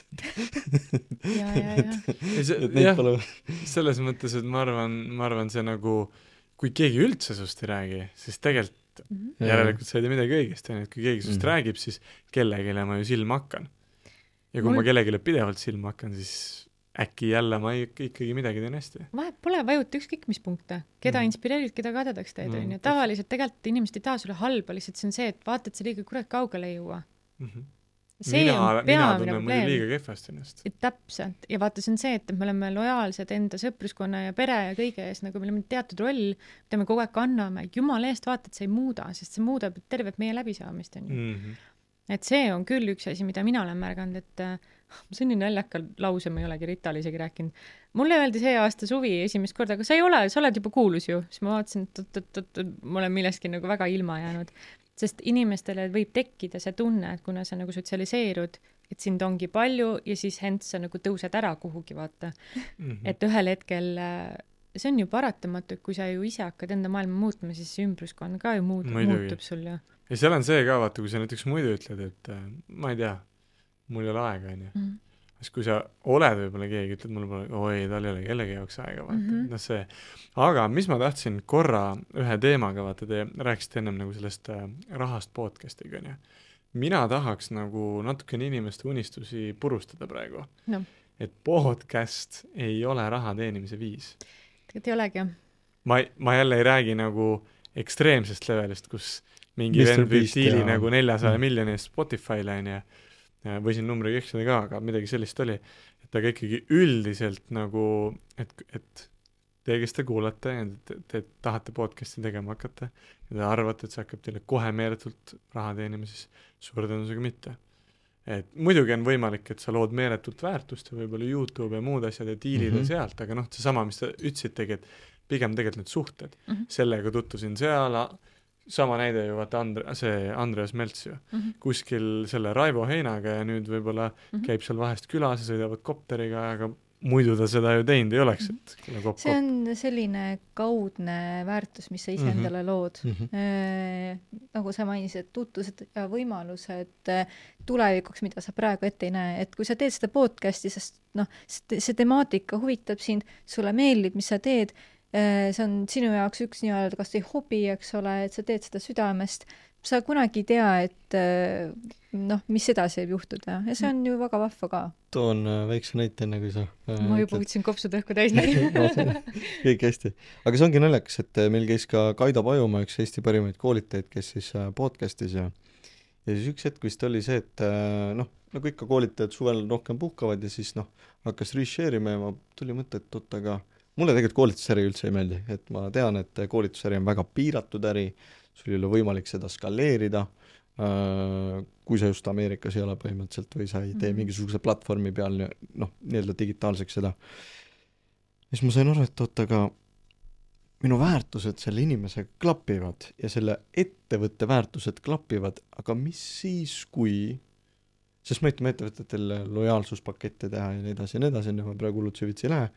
ja, ja, ja jah, pole... selles mõttes, et ma arvan, ma arvan see nagu, kui keegi üldse sust ei räägi, siis tegelikult mm -hmm. järelikult sa ei tee midagi õigesti, et kui keegi sust mm -hmm. räägib, siis kellegile ma ju silma hakkan. Ja kui Mul... ma kellegile pidevalt silma hakkan, siis äkki jälle ma ikkagi midagi teen hästi. Vahet pole, vajuta ükskõik mis punkte. Keda mm. inspireerid, keda kadedaks teed, on ju. Tavaliselt tegelikult inimesed ei taha sulle halba, lihtsalt see on see, et vaata, et sa liiga kurat kaugele ei jõua. Mm -hmm. see mina, on peamine probleem. Liiga kehvasti ennast. Täpselt. Ja vaata, see on see, et me oleme lojaalsed enda sõpruskonna ja pere ja kõige ees, nagu meil on teatud roll, mida me kogu aeg kanname. Jumala eest vaata, et see ei muuda, sest see muudab tervet meie läbisaamist, on ju. Mm -hmm. Et see on küll üks asi, mida mina olen märganud, et ma see on nii naljaka lause, ma ei olegi Ritale isegi rääkinud. Mulle öeldi see aasta suvi esimest korda, aga sa ei ole, sa oled juba kuulus ju. Siis ma vaatasin, et, et, et, et ma olen millestki nagu väga ilma jäänud. Sest inimestele võib tekkida see tunne, et kuna sa nagu sotsialiseerud, et sind ongi palju ja siis hents sa nagu tõused ära kuhugi, vaata. Mm -hmm. Et ühel hetkel, see on ju paratamatu, et kui sa ju ise hakkad enda maailma muutma, siis ümbruskond ka ju muud, muutub sul ju. Ja seal on see ka, vaata, kui sa näiteks muidu ütled, et ma ei tea, mul ei ole aega, on ju. Mm -hmm. Siis kui sa oled võib-olla keegi, ütled mulle pole, oi, tal ei ole kellegi jaoks aega, vaata. Mm -hmm. No see. Aga mis ma tahtsin korra ühe teemaga, vaata, te rääkisite ennem nagu sellest äh, rahast podcast'iga, on ju. Mina tahaks nagu natukene inimeste unistusi purustada praegu. No. Et podcast ei ole raha teenimise viis. Tegelikult ei olegi. Ma, ma jälle ei räägi nagu ekstreemsest levelist, kus mingi vend viib diili nagu neljasaja mm. miljoni eest Spotify'le, on ju. Võisin numbriga eksida ka, aga midagi sellist oli, et aga ikkagi üldiselt nagu, et, et te, kes te kuulate ja te, te tahate podcast'i tegema hakata ja te arvate, et see hakkab teile kohe meeletult raha teenima, siis suure tõenäosusega mitte. Et muidugi on võimalik, et sa lood meeletult väärtust ja võib-olla YouTube ja muud asjad ja diilid mm -hmm. sealt, aga noh, see sama, mis te ütlesitegi, et pigem tegelikult need suhted. Mm -hmm. Sellega tutvusin seal, sama näide ju vaata Andre, see Andreas Melts ju mm -hmm. kuskil selle Raivo Heinaga ja nüüd võib-olla mm -hmm. käib seal vahest külas ja sõidavad kopteriga, aga muidu ta seda ju teinud ei oleks, et mm -hmm. kop, see on selline kaudne väärtus, mis sa ise mm -hmm. endale lood mm. -hmm. E, nagu sa mainisid, tutvused ja võimalused tulevikuks, mida sa praegu ette ei näe, et kui sa teed seda podcast'i, sest noh, see temaatika huvitab sind, sulle meeldib, mis sa teed, see on sinu jaoks üks nii-öelda kas või hobi, eks ole, et sa teed seda südamest, sa kunagi ei tea, et noh, mis edasi võib juhtuda ja see on ju väga vahva ka. Toon väikse näite enne, kui sa ma juba võtsin kopsud õhku täis kõik hästi. Aga see ongi naljakas, et meil käis ka Kaido Pajumaa, üks Eesti parimaid koolitajaid, kes siis podcastis ja ja siis üks hetk vist oli see, et noh, nagu ikka koolitajad suvel rohkem puhkavad ja siis noh, hakkas reshare ima ja ma tuli mõte, et oot, aga mulle tegelikult koolitusäri üldse ei meeldi, et ma tean, et koolitusäri on väga piiratud äri, sul ei ole võimalik seda skaleerida, kui sa just Ameerikas ei ole põhimõtteliselt või sa ei tee mm-hmm. mingisuguse platvormi peal noh, nii-öelda digitaalseks seda. Ja siis ma sain aru, et oot, aga minu väärtused selle inimesega klapivad ja selle ettevõtte väärtused klapivad, aga mis siis, kui sest ma ütleme ettevõtetele lojaalsuspakette teha ja nii edasi ja nii edasi, ja ma praegu hullult süvitsi ei lähe,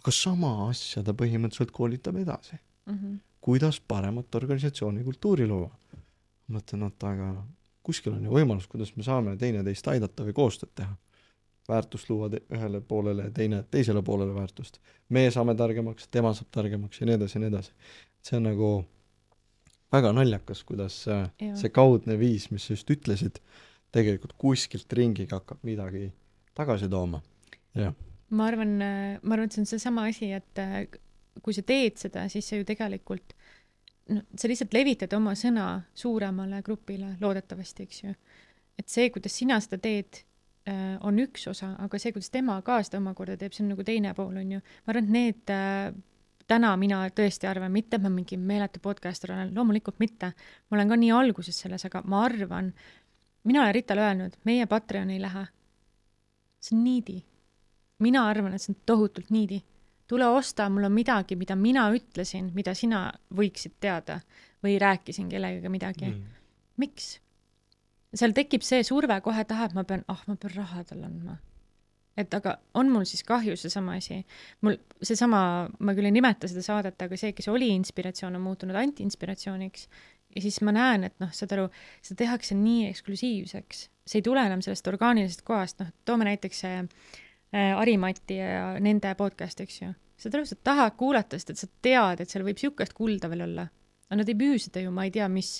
aga sama asja ta põhimõtteliselt koolitab edasi. Mm-hmm. Kuidas paremat organisatsiooni kultuuri luua. Ma mõtlen, et aga kuskil on ju võimalus, kuidas me saame teine teist aidata või koostööd teha. Väärtust luua te- ühele poolele ja teine teisele poolele väärtust. Me saame targemaks, tema saab targemaks ja nii edasi ja nii edasi. See on nagu väga naljakas, kuidas ja. see kaudne viis, mis sa just ütlesid, tegelikult kuskilt ringiga hakkab midagi tagasi tooma. Ja. Ma arvan, ma arvan, et see on see sama asi, et kui sa teed seda, siis sa ju tegelikult no, sa lihtsalt levitad oma sõna suuremale grupile loodetavasti, eks ju. Et see, kuidas sina seda teed, on üks osa, aga see, kuidas tema ka seda omakorda teeb, see on nagu teine pool, on ju. Ma arvan, et need täna mina tõesti arvan, mitte ma mingi meeletu podcaster olen, loomulikult mitte. Ma olen ka nii alguses selles, aga ma arvan, mina olen Ritale öelnud, meie Patreon ei lähe. See on niidi. Mina arvan, et see on tohutult niidi. Tule osta, mul on midagi, mida mina ütlesin, mida sina võiksid teada või rääkisin kellegagi midagi. Mm. Miks? Seal tekib see surve kohe taha, et ma pean, ah, ma pean raha talle andma. Et aga on mul siis kahju see sama asi. Mul see sama, ma küll ei nimeta seda saadet, aga see, kes oli inspiratsioon, on muutunud anti-inspiratsiooniks. Ja siis ma näen, et noh, saad aru, seda tehakse nii eksklusiivseks. See ei tule enam sellest orgaanilisest kohast. Noh, toome näiteks see Arimati ja nende podcast, eks ju. Saad aru, sa tahad kuulata, sest et sa tead, et seal võib siukest kulda veel olla. Aga nad ei müü seda ju, ma ei tea, mis,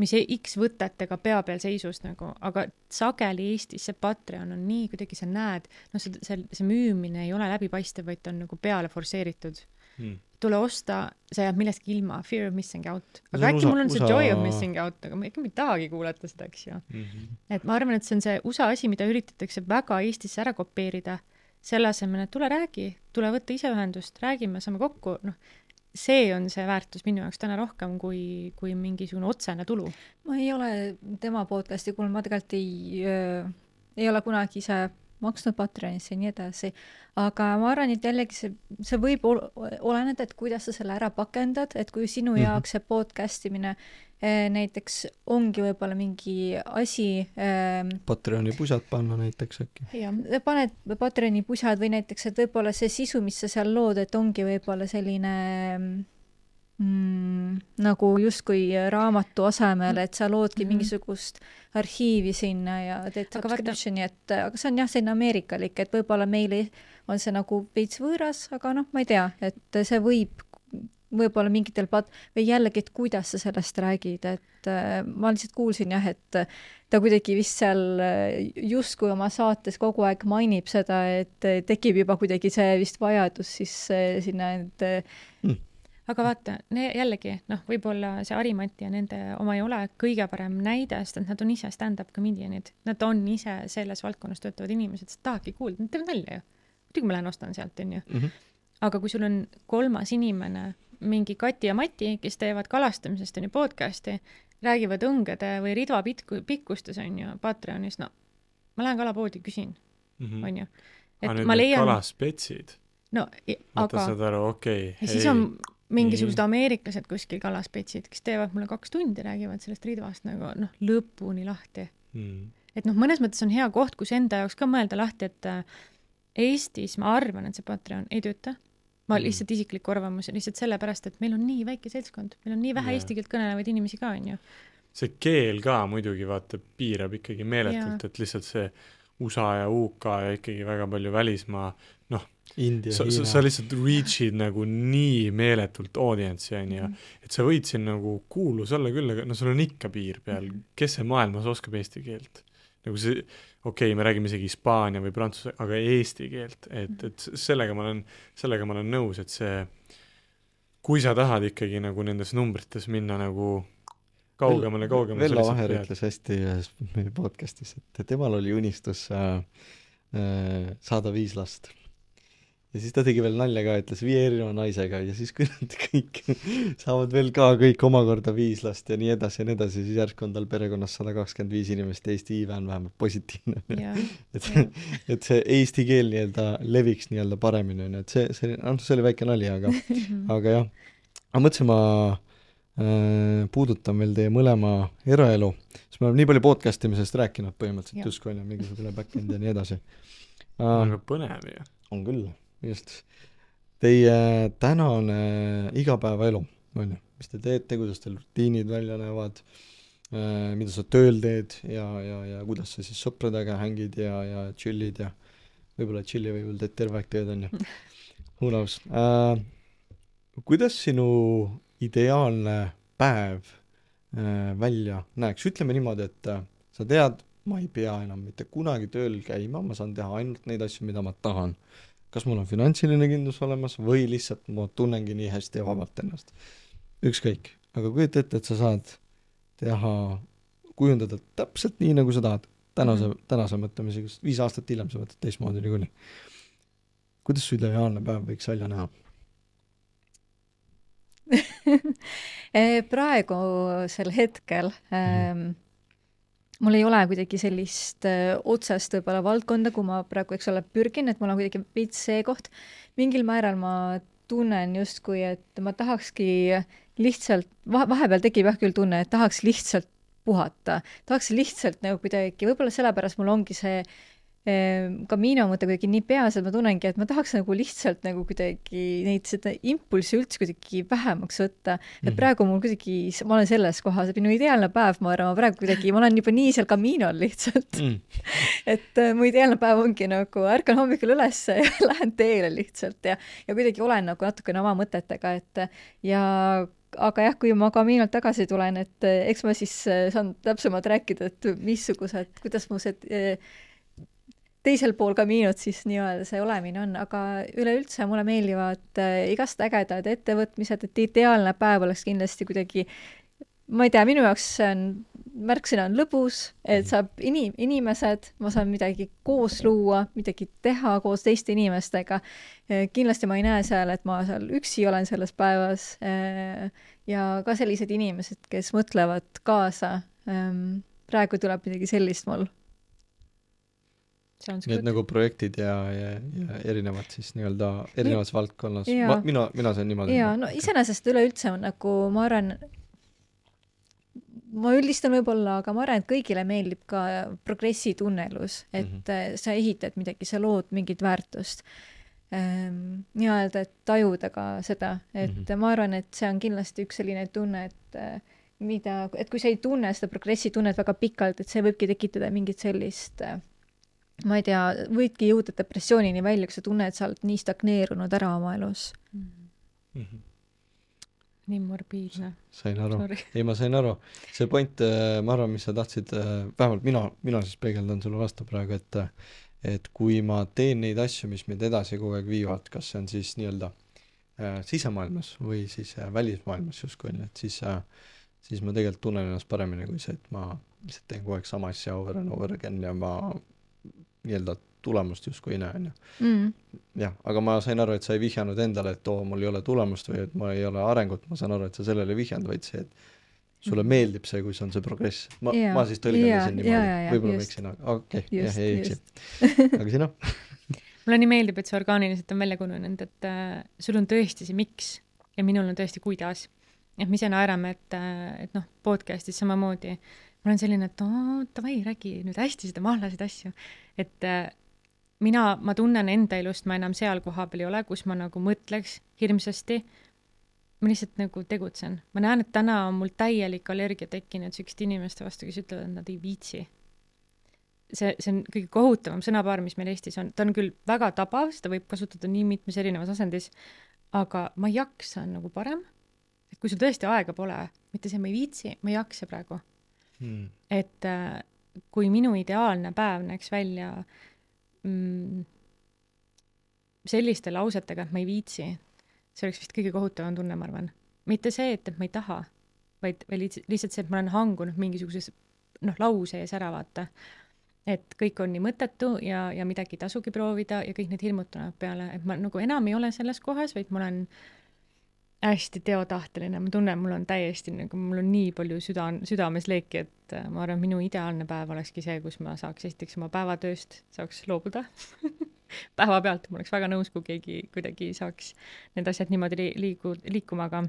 mis X võtetega pea peal seisus nagu, aga sageli Eestis see Patreon on nii, kuidagi sa näed, no see, see, see müümine ei ole läbipaistev, vaid on nagu peale forseeritud. Hmm. Tule osta, sa jääb millestki ilma, fear of missing out. Aga äkki usa, mul on see usa... joy of missing out, aga ma ikka ei tahagi kuulata seda, eks ju. Mm-hmm. Et ma arvan, et see on see U S A asi, mida üritatakse väga Eestisse ära kopeerida, selle asemel, et tule räägi, tule võtta ise ühendust, räägime, saame kokku, noh, see on see väärtus minu jaoks täna rohkem kui, kui mingisugune otsene tulu. Ma ei ole tema podcasti kuulnud, ma tegelikult ei, äh, ei ole kunagi ise maksnud Patreonisse ja nii edasi, aga ma arvan, et jällegi see, see võib ol- oleneda, et kuidas sa selle ära pakendad, et kui sinu mm-hmm. jaoks see podcastimine eh, näiteks ongi võib-olla mingi asi eh, Patreoni pusad panna näiteks äkki. Jah, paned Patreoni pusad või näiteks, et võib-olla see sisu, mis sa seal lood, et ongi võib-olla selline mm, nagu justkui raamatu asemel, et sa loodki mm-hmm. mingisugust arhiivi sinna ja teed subscriptioni, et aga see on jah, selline ameerikalik, et võib-olla meile on see nagu veits võõras, aga noh, ma ei tea, et see võib võib-olla mingitel pat- või jällegi, et kuidas sa sellest räägid, et äh, ma lihtsalt kuulsin jah, et ta kuidagi vist seal justkui oma saates kogu aeg mainib seda, et tekib juba kuidagi see vist vajadus siis äh, sinna, et mm. Aga vaata, ne, jällegi, noh, võib-olla see Arimati ja nende oma ei ole kõige parem näide, sest nad on ise stand-up comedianid. Nad on ise selles valdkonnas töötavad inimesed, sest tahadki kuulda, nad teevad nalja ju. Muidugi ma lähen ostan sealt, on ju. Mm-hmm. Aga kui sul on kolmas inimene, mingi Kati ja Mati, kes teevad kalastamisest on ju podcasti, räägivad õngede või ridva pitku, pikkustes on ju Patreonis, no ma lähen kalapoodi, küsin, mm-hmm. on ju. Et aga need leian... kalaspetsid? No, aga... Võta saad aru, okei. Okay, ja siis on mingisugused ameeriklased kuskil kalaspetsid, kes teevad mulle kaks tundi, räägivad sellest ridvast nagu noh, lõpuni lahti. Mm. Et noh, mõnes mõttes on hea koht, kus enda jaoks ka mõelda lahti, et Eestis ma arvan, et see Patreon ei tööta. Ma mm. lihtsalt isiklik arvamus, lihtsalt sellepärast, et meil on nii väike seltskond, meil on nii vähe yeah. eesti keelt kõnelevaid inimesi ka, on ju. See keel ka muidugi vaata piirab ikkagi meeletult, yeah. et lihtsalt see U S A ja U K ja ikkagi väga palju välismaa, noh, India, sa, sa, sa lihtsalt reachid nagu nii meeletult audientsi, on ju, et sa võid siin nagu kuulus olla küll, aga no sul on ikka piir peal, kes see maailmas oskab eesti keelt? Nagu see, okei okay,, me räägime isegi hispaania või prantsuse, aga eesti keelt, et, et sellega ma olen, sellega ma olen nõus, et see, kui sa tahad ikkagi nagu nendes numbrites minna nagu kaugemale, kaugemale. Vello Vaher ütles hästi ühes meie podcastis, et temal oli unistus äh, äh, saada viis last. Ja siis ta tegi veel nalja ka, ütles viie erineva naisega ja siis kui nad kõik saavad veel ka kõik omakorda viis last ja nii edasi ja nii edasi, siis järsku on tal perekonnas sada kakskümmend viis inimest ja Eesti iive on vähemalt positiivne. et, et see eesti keel nii-öelda leviks nii-öelda paremini, et see, see, see oli väike nali, aga, aga jah. Ma mõtlesin, ma äh, puudutan veel teie mõlema eraelu, sest me oleme nii palju podcast imisest rääkinud põhimõtteliselt, justkui on mingisugune back-end ja nii edasi. Uh, on ka põnev ju. On küll. Just. Teie tänane igapäevaelu, on ju, mis te teete, kuidas teil rutiinid välja näevad, äh, mida sa tööl teed ja, ja, ja kuidas sa siis sõpradega hängid ja, ja chillid ja võib-olla chilli võib-olla teed terve aeg teed, on ju. Who knows. Äh, kuidas sinu ideaalne päev äh, välja näeks? Ütleme niimoodi, et äh, sa tead, ma ei pea enam mitte kunagi tööl käima, ma saan teha ainult neid asju, mida ma tahan. Kas mul on finantsiline kindlus olemas või lihtsalt ma tunnengi nii hästi ja vabalt ennast. Ükskõik. Aga kujuta ette, et sa saad teha, kujundada täpselt nii, nagu sa tahad. Tänase, mm-hmm. tänase mõtlemise, viis aastat hiljem sa võtad teistmoodi niikuinii. Kuidas su ideaalne päev võiks välja näha? Praegusel hetkel mm-hmm. ähm, mul ei ole kuidagi sellist öö, otsest võib-olla valdkonda, kui ma praegu, eks ole, pürgin, et mul on kuidagi veits see koht. Mingil määral ma tunnen justkui, et ma tahakski lihtsalt, vahepeal tekib jah küll tunne, et tahaks lihtsalt puhata. Tahaks lihtsalt nagu kuidagi, võib-olla sellepärast mul ongi see ka minu mõte kuidagi nii peas, et ma tunnengi, et ma tahaks nagu lihtsalt nagu kuidagi neid seda impulsi üldse kuidagi vähemaks võtta. Et praegu mul kuidagi, ma olen selles kohas, et minu ideaalne päev, ma arvan, ma praegu kuidagi, ma olen juba nii seal kamiinol lihtsalt. Mm. et mu ideaalne päev ongi nagu, ärkan hommikul üles ja lähen teele lihtsalt ja, ja kuidagi olen nagu natukene oma mõtetega, et ja aga jah, kui ma kamiinalt tagasi tulen, et eks ma siis saan täpsemalt rääkida, et missugused, kuidas mu see teisel pool kamiinut siis nii-öelda see olemine on, aga üleüldse mulle meeldivad igast ägedad ettevõtmised, et ideaalne päev oleks kindlasti kuidagi, ma ei tea, minu jaoks see on, märksõna on lõbus, et saab inim, inimesed, ma saan midagi koos luua, midagi teha koos teiste inimestega. Kindlasti ma ei näe seal, et ma seal üksi olen selles päevas ja ka sellised inimesed, kes mõtlevad kaasa. Praegu tuleb midagi sellist mul. Need good. Nagu projektid ja, ja, ja erinevad siis nii-öelda erinevas ja, valdkonnas. Ma, mina, mina sain niimoodi. Jaa, no iseenesest üleüldse on nagu, ma arvan, ma üldistan võib-olla, aga ma arvan, et kõigile meeldib ka progressi tunnelus, et mm-hmm. sa ehitad midagi, sa lood mingit väärtust. Ähm, nii-öelda, et tajuda ka seda, et mm-hmm. ma arvan, et see on kindlasti üks selline tunne, et mida, et kui sa ei tunne seda progressi tunnet väga pikalt, et see võibki tekitada mingit sellist ma ei tea, võidki jõuda depressioonini välja, kui sa tunned, et sa oled nii stagneerunud ära oma elus. Mm-hmm. Nii morbiidne. Sain aru. Sorry. Ei, ma sain aru. See point, ma arvan, mis sa tahtsid, vähemalt mina, mina siis peegeldan sulle vastu praegu, et, et kui ma teen neid asju, mis meid edasi kogu aeg viivad, kas see on siis nii-öelda äh, sisemaailmas või siis äh, välismaailmas justkui, et siis, äh, siis ma tegelikult tunnen ennast paremini kui see, et ma lihtsalt teen kogu aeg sama asja over and over again ja ma nii-öelda tulemust justkui ei näe. Mm. Jah, aga ma sain aru, et sa ei vihjanud endale, et oo, mul ei ole tulemust või et ma ei ole arengut, ma saan aru, et sa sellele vihjanud, vaid see, et sulle mm. meeldib see, kui see on see progress. Ma, yeah. ma siis tõlgendasin yeah. niimoodi. Yeah, võib-olla ma eksin, aga okei, okay. jah, ei eksi. Aga sina? Mulle nii meeldib, et see orgaaniliselt on välja kujunenud, et äh, sul on tõesti see miks ja minul on tõesti kuidas. Et me ise naerame, et, et noh, podcastis samamoodi ma olen selline, et oo, tavai, räägi nüüd hästi seda mahlasid asju. Et äh, mina, ma tunnen enda elust, ma enam seal koha peal ei ole, kus ma nagu mõtleks hirmsasti. Ma lihtsalt nagu tegutsen. Ma näen, et täna on mul täielik allergia tekkinud sükst inimeste vastu, kes ütlevad, et nad ei viitsi. See, see on kõige kohutavam sõnapaar, mis meil Eestis on. Ta on küll väga tabav, seda võib kasutada nii mitmes erinevas asendis, aga ma jaksa on nagu parem. Et kui sul tõesti aega pole, mitte see, ma ei viitsi, ma jaksa praegu. Hmm. Et äh, kui minu ideaalne päev näeks välja mm, selliste lausetega, et ma ei viitsi, see oleks vist kõige kohutavam tunne, ma arvan. Mitte see, et, et ma ei taha, vaid, vaid lihtsalt see, et ma olen hangunud mingisuguses noh, lause ees ära vaata. Et kõik on nii mõttetu ja, ja midagi ei tasugi proovida ja kõik need hirmud tulevad peale, et ma nagu enam ei ole selles kohas, vaid ma olen hästi teotahteline, ma tunnen, mul on täiesti nagu, mul on nii palju süda, südames leeki, et ma arvan, minu ideaalne päev olekski see, kus ma saaks esiteks oma päevatööst, saaks loobuda päeva pealt, ma oleks väga nõus, kui keegi kuidagi saaks need asjad niimoodi li- liigu, liikuma, aga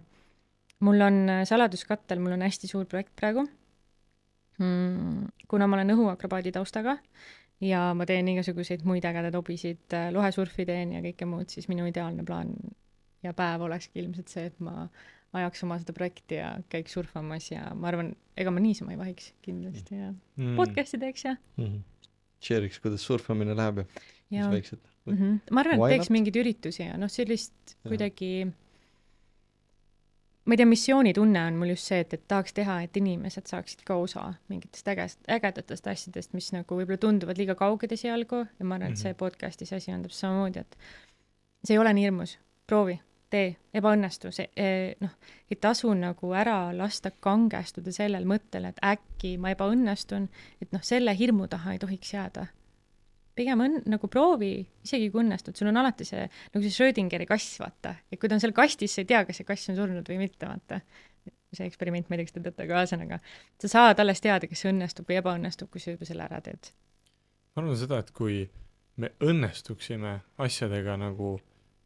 mul on saladuskattel, mul on hästi suur projekt praegu. Mm, kuna ma olen õhuakrobaadi taustaga ja ma teen igasuguseid muid ägedaid hobisid, lohesurfi teen ja kõike muud, siis minu ideaalne plaan ja päev olekski ilmselt see, et ma ajaks oma seda projekti ja käiks surfamas ja ma arvan, ega ma niisama ei vahiks kindlasti ja mm. podcasti teeks ja mm-hmm. share'iks, kuidas surfamine läheb ja, ja. mis väiksed mm-hmm. ma arvan, et teeks mingeid üritusi ja noh, sellist ja. kuidagi ma ei tea, missioonitunne on mul just see, et, et tahaks teha, et inimesed saaksid ka osa mingitest ägest, ägedatest asjadest, mis nagu võib-olla tunduvad liiga kauged esialgu ja ma arvan, et see podcasti see asi on täpselt samamoodi, et see ei ole nii hirmus, proovi, tee, ebaõnnestu, see eh, noh, ei tasu nagu ära lasta kangestuda sellel mõttel, et äkki ma ebaõnnestun, et noh, selle hirmu taha ei tohiks jääda. Pigem on nagu proovi, isegi kui õnnestud, sul on alati see, nagu see Schrödingeri kass, vaata, et kui ta on seal kastis, sa ei tea, kas see kass on surnud või mitte, vaata. See eksperiment, ma ei tea, kas te teate, aga ühesõnaga, sa saad alles teada, kas see õnnestub või ebaõnnestub, kui sa juba selle ära teed. Ma arvan seda, et kui me õnnestuksime asjadega nagu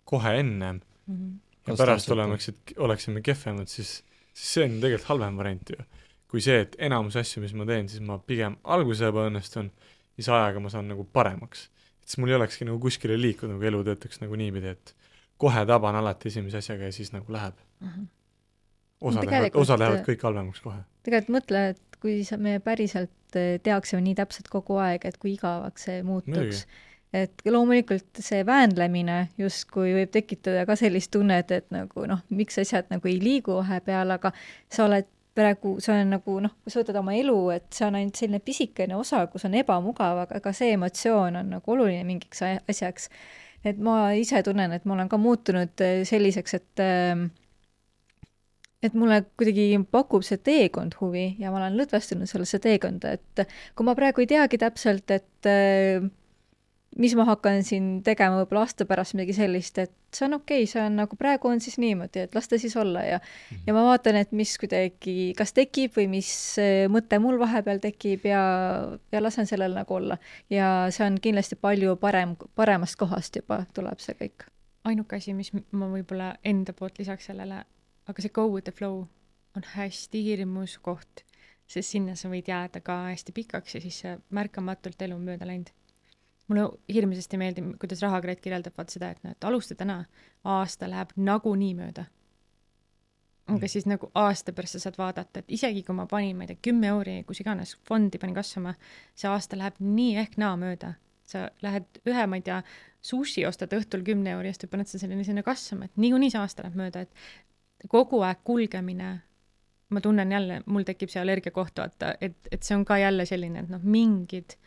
kohe ennem mm-hmm. ja pärast olemaksid, oleksime kehvemad, siis, siis see on tegelikult halvem variant ju. Kui see, et enamus asju, mis ma teen, siis ma pigem alguse ebaõnnestun siis ajaga ma saan nagu paremaks. Et siis mul ei olekski nagu kuskile liikuda, nagu elu töötaks nagu niipidi, et kohe taban alati esimese asjaga ja siis nagu läheb. Uh-huh. Osa, lähevad, osa lähevad kõik halvemaks kohe. Tegelikult mõtle, et kui me päriselt teaksime nii täpselt kogu aeg, et kui igavaks see muutuks. Mõjugi. Et loomulikult see väänlemine justkui võib tekitada ka sellist tunnet, et nagu noh, miks asjad nagu ei liigu vahepeal, aga sa oled praegu, see on nagu noh, kui sa võtad oma elu, et see on ainult selline pisikene osa, kus on ebamugav, aga see emotsioon on nagu oluline mingiks asjaks. Et ma ise tunnen, et ma olen ka muutunud selliseks, et et mulle kuidagi pakub see teekond huvi ja ma olen lõdvestunud sellesse teekonda, et kui ma praegu ei teagi täpselt, et mis ma hakkan siin tegema võib-olla aasta pärast midagi sellist, et see on okei, see on nagu praegu on siis niimoodi, et las ta siis olla ja mm-hmm. ja ma vaatan, et mis kuidagi kas tekib või mis mõte mul vahepeal tekib ja, ja lasen sellel nagu olla. Ja see on kindlasti palju parem, paremast kohast juba tuleb see kõik. Ainuke asi, mis ma võib-olla enda poolt lisaks sellele, aga see go with the flow on hästi hirmus koht, sest sinna sa võid jääda ka hästi pikaks ja siis märkamatult elu mööda läinud. Mulle hirmsasti meeldib, kuidas Rahakret kirjeldab vaat seda, et, et alusta täna, aasta läheb nagu nii mööda. Aga siis nagu aasta pärast sa saad vaadata, et isegi kui ma panin, ma ei tea, kümme euri, kus iganes fondi panin kasvama, see aasta läheb nii ehk naa mööda. Sa lähed ühe, ma ei tea, sushi ostad õhtul kümne euri eest ja paned sa selline sinna kasvama, et niikuinii see aasta läheb mööda, et kogu aeg kulgemine, ma tunnen jälle, mul tekib see allergia koht, vaata, et, et see on ka jälle selline, et noh, mingid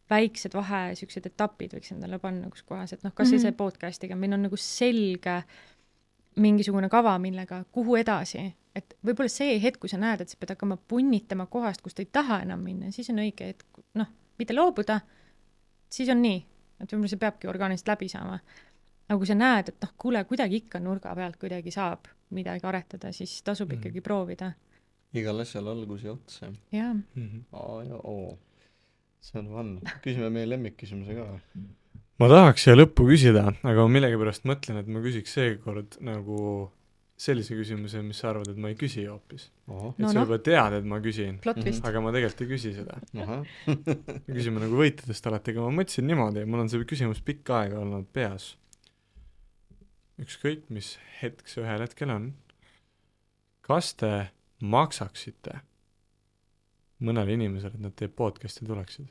väiksed vahe, siuksed etapid võiks endale panna kus kohas, et noh, kas mm-hmm. see podcastiga, meil on nagu selge mingisugune kava, millega kuhu edasi, et võib-olla see hetk, kui sa näed, et sa pead hakkama punnitama kohast, kus ta ei taha enam minna, siis on õige, et noh, mitte loobuda, siis on nii, et võib-olla see peabki orgaanist läbi saama. Aga kui sa näed, et noh, kuule, kuidagi ikka nurga pealt kuidagi saab midagi aretada, siis tasub mm-hmm. ikkagi proovida. Igal asjal algus ja ots. Jaa. Mm-hmm. Aa ja oo. See on vann. Küsime meie lemmikküsimuse ka. Ma tahaks siia lõppu küsida, aga ma millegi pärast mõtlen, et ma küsiks seekord nagu sellise küsimuse, mis sa arvad, et ma ei küsi hoopis. Oho. Et no, sa juba no. tead, et ma küsin, aga ma tegelikult ei küsi seda. Me küsime nagu võitedest alati, aga ma mõtlesin niimoodi, mul on see küsimus pikka aega olnud peas. Ükskõik, mis hetk see ühel hetkel on. Kas te maksaksite mõnele inimesele, et nad teie podcasti tuleksid?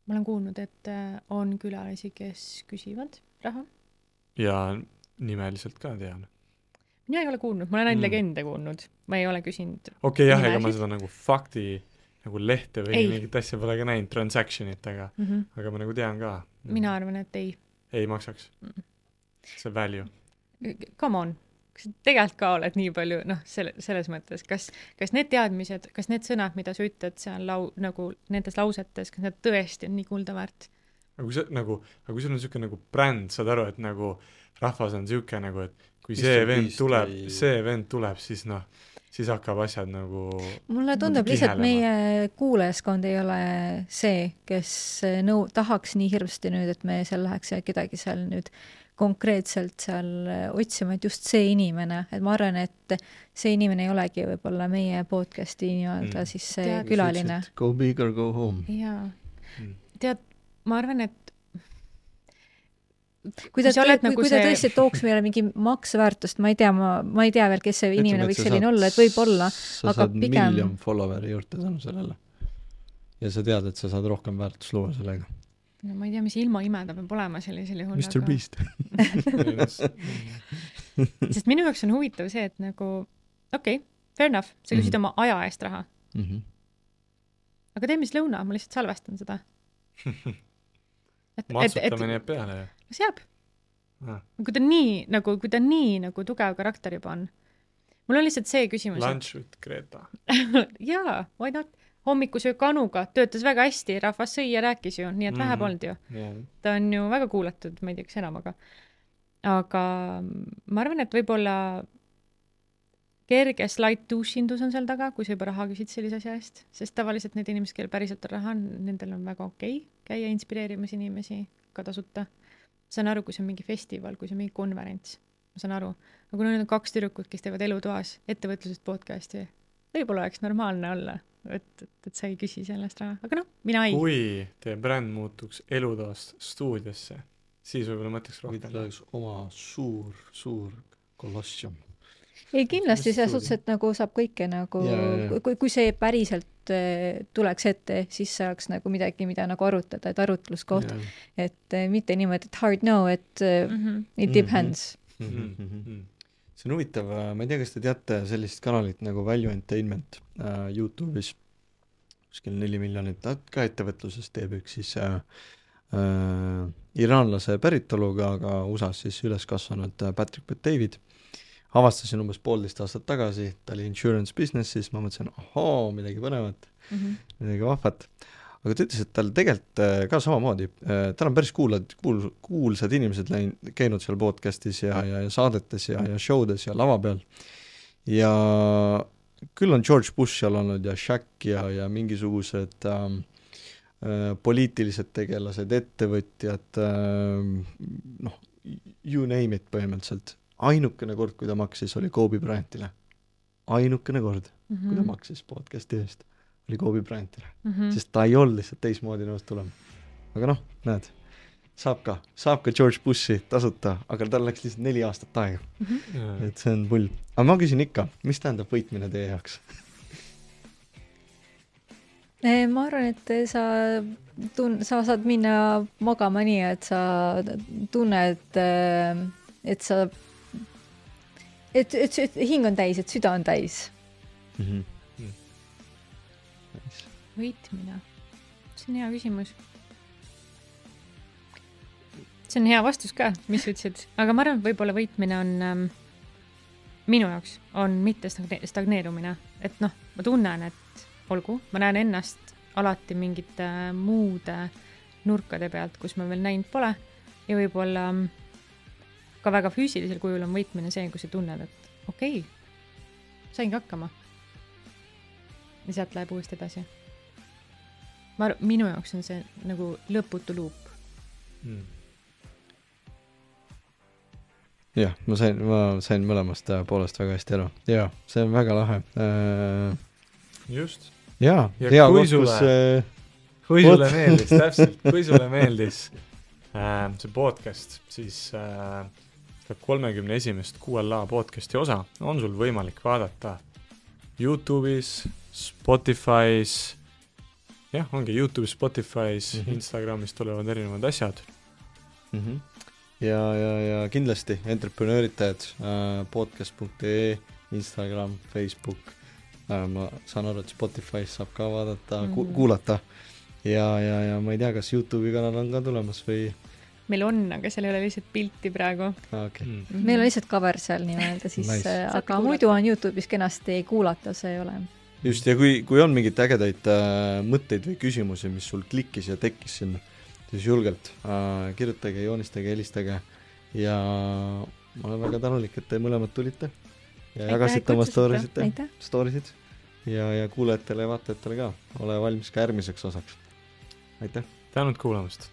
Ma olen kuulnud, et on külalisi, kes küsivad raha. Ja nimeliselt ka tean. Mina ei ole kuulnud, ma olen ainult mm. legende kuulnud. Ma ei ole küsinud. Okei, okay, jah, ega ma seda nagu fakti, nagu lehte või ei. Mingit asja pole ka näinud, transactionit, aga, mm-hmm. aga ma nagu tean ka. Mina arvan, et ei. Ei maksaks. Mm. See value. Come on. kas sa tegelikult ka oled nii palju, noh, selle, selles mõttes, kas, kas need teadmised, kas need sõnad, mida sa ütled seal lau, nagu nendes lausetes, kas need tõesti on nii kulda väärt? aga kui sa nagu, aga kui sul on niisugune nagu bränd, saad aru, et nagu rahvas on niisugune nagu, et kui see vend tuleb, see vend tuleb, siis noh, siis hakkab asjad nagu mulle tundub lihtsalt, meie kuulajaskond ei ole see, kes nõu-, tahaks nii hirmsasti nüüd, et me seal läheks ja kedagi seal nüüd konkreetselt seal otsima, et just see inimene, et ma arvan, et see inimene ei olegi võib-olla meie podcasti nii-öelda mm. siis see Tead, külaline. Go big or go home. Jaa. Mm. Tead, ma arvan, et kui ta, kui, nagu kui see... ta tõesti tooks meile mingi maksväärtust, ma ei tea, ma, ma ei tea veel, kes see inimene võiks selline saad, olla, et võib olla, sa aga saad pigem... miljon followeri juurde tänu sellele. Ja sa tead, et sa saad rohkem väärtust luua sellega. No ma ei tea, mis ilma imeda peab olema sellisel juhul. mister Aga... Beast. Sest minu jaoks on huvitav see, et nagu, okei, okay, fair enough, sa küsid mm -hmm. oma aja eest raha. Mm -hmm. Aga tee mis lõuna, ma lihtsalt salvestan seda. Et, matsutamine jääb peale ju. Las jääb. Ah. Kui ta nii, nagu, kui ta nii nagu tugev karakter juba on. Mul on lihtsalt see küsimus. Lunch with Greta. Jaa, why not? Hommikusöök Anuga töötas väga hästi, rahvas sõi ja rääkis ju, nii et mm-hmm. vähe polnud ju. Yeah. Ta on ju väga kuulatud, ma ei tea, kas enam, aga aga ma arvan, et võib-olla kerge slide douchindus on seal taga, kui sa juba raha küsid sellise asja eest, sest tavaliselt need inimesed, kellel päriselt on raha, nendel on väga okei okay käia inspireerimas inimesi ka tasuta. Ma saan aru, kui see on mingi festival, kui see on mingi konverents, ma saan aru. Aga kui need on kaks tüdrukut, kes teevad elutoas ettevõtlusest podcasti, võib-olla oleks normaalne olla, et, et, et sa ei küsi sellest raha. Aga noh, mina ei. Kui teie bränd muutuks elutoast stuudiosse, siis võib-olla mõtleks rohkem. Võid oleks oma suur, suur kolossium. Ei, kindlasti see suhtes, et nagu saab kõike nagu, yeah. kui, kui see päriselt äh, tuleks ette, siis saaks nagu midagi, mida nagu arutada, et arutluskoht, yeah. et äh, mitte niimoodi, et hard no, et äh, mm-hmm. it depends. Mm-hmm. Mm-hmm. See on huvitav, ma ei tea, kas te teate sellist kanalit nagu Value Entertainment äh, YouTube'is, kuskil neli miljonit, ka ettevõtluses teeb üks siis äh, äh, iraanlase päritoluga, aga U S A-s siis üles kasvanud Patrick Bet-David. Avastasin umbes poolteist aastat tagasi, ta oli insurance businessis, ma mõtlesin, ahoo, midagi põnevat, mm-hmm. midagi vahvat. Aga ta ütles, et tal tegelikult ka samamoodi, tal on päris kuulad, kuul, kuulsad inimesed läin, käinud seal podcastis ja, ja, ja saadetes ja, ja showdes ja lava peal. Ja küll on George Bush seal olnud ja Shaq ja, ja mingisugused ähm, äh, poliitilised tegelased, ettevõtjad, äh, noh, you name it põhimõtteliselt. Ainukene kord, kui ta maksis, oli Kobe Bryantile. Ainukene kord, mm-hmm. kui ta maksis podcasti eest, oli Kobe Bryantile. Mm-hmm. Sest ta ei olnud lihtsalt teismoodi nõust tulema. Aga noh, näed, saab ka, saab ka George Bushi tasuta, aga tal läks lihtsalt neli aastat aega. Mm-hmm. Et see on pull. Aga ma küsin ikka, mis tähendab võitmine teie jaoks? Ma arvan, et sa, tun- sa saad minna magama nii, et sa tunned, et sa Et, et, et hing on täis, et süda on täis. Mm-hmm. Nice. Võitmine. See on hea küsimus. See on hea vastus ka, mis ütlesid. Aga ma arvan, et võib-olla võitmine on ähm, minu jaoks on mitte stagneerumine. Et noh, ma tunnen, et olgu, ma näen ennast alati mingite muude nurkade pealt, kus ma veel näinud pole. Ja võib-olla ka väga füüsilisel kujul on võitmine see, kui sa tunned, et okei, okay, saingi hakkama. Ja sealt läheb uuesti edasi. Ma, minu jaoks on see nagu lõputu luup. Hmm. Jah, ma sain, ma sain mõlemast poolest väga hästi aru. Jaa, see on väga lahe. Äh... Just. Jaa, ja hea kui koht, sulle, kus... Äh... Kui sulle meeldis, täpselt, kui sulle meeldis äh, see podcast, siis... Äh, kolmekümne esimest Q L A podcasti osa on sul võimalik vaadata YouTube'is, Spotify's, jah, ongi YouTube'is, Spotify's, mm-hmm. Instagramis tulevad erinevad asjad. Mm-hmm. Ja, ja, ja kindlasti entreprenööritajad, äh, podcast punkt ee, Instagram, Facebook, äh, ma saan aru, et Spotify's saab ka vaadata, mm-hmm. ku- kuulata ja, ja, ja ma ei tea, kas YouTube'i kanal on ka tulemas või meil on, aga seal ei ole lihtsalt pilti praegu. Okay. Mm. meil on lihtsalt cover seal nii-öelda siis Nice. nice. Aga Saate muidu on YouTube'is kenasti kuulata, see ei ole. Just, ja kui, kui on mingid ägedaid äh, mõtteid või küsimusi, mis sul klikkis ja tekkis sinna, siis julgelt äh, kirjutage, joonistage, helistage ja ma olen väga tänulik, et te mõlemad tulite ja Aitäh, jagasite oma kutsusite. storiesite, stories'id ja, ja kuulajatele ja vaatajatele ka. Ole valmis ka järgmiseks osaks. Aitäh! Tänud kuulamast!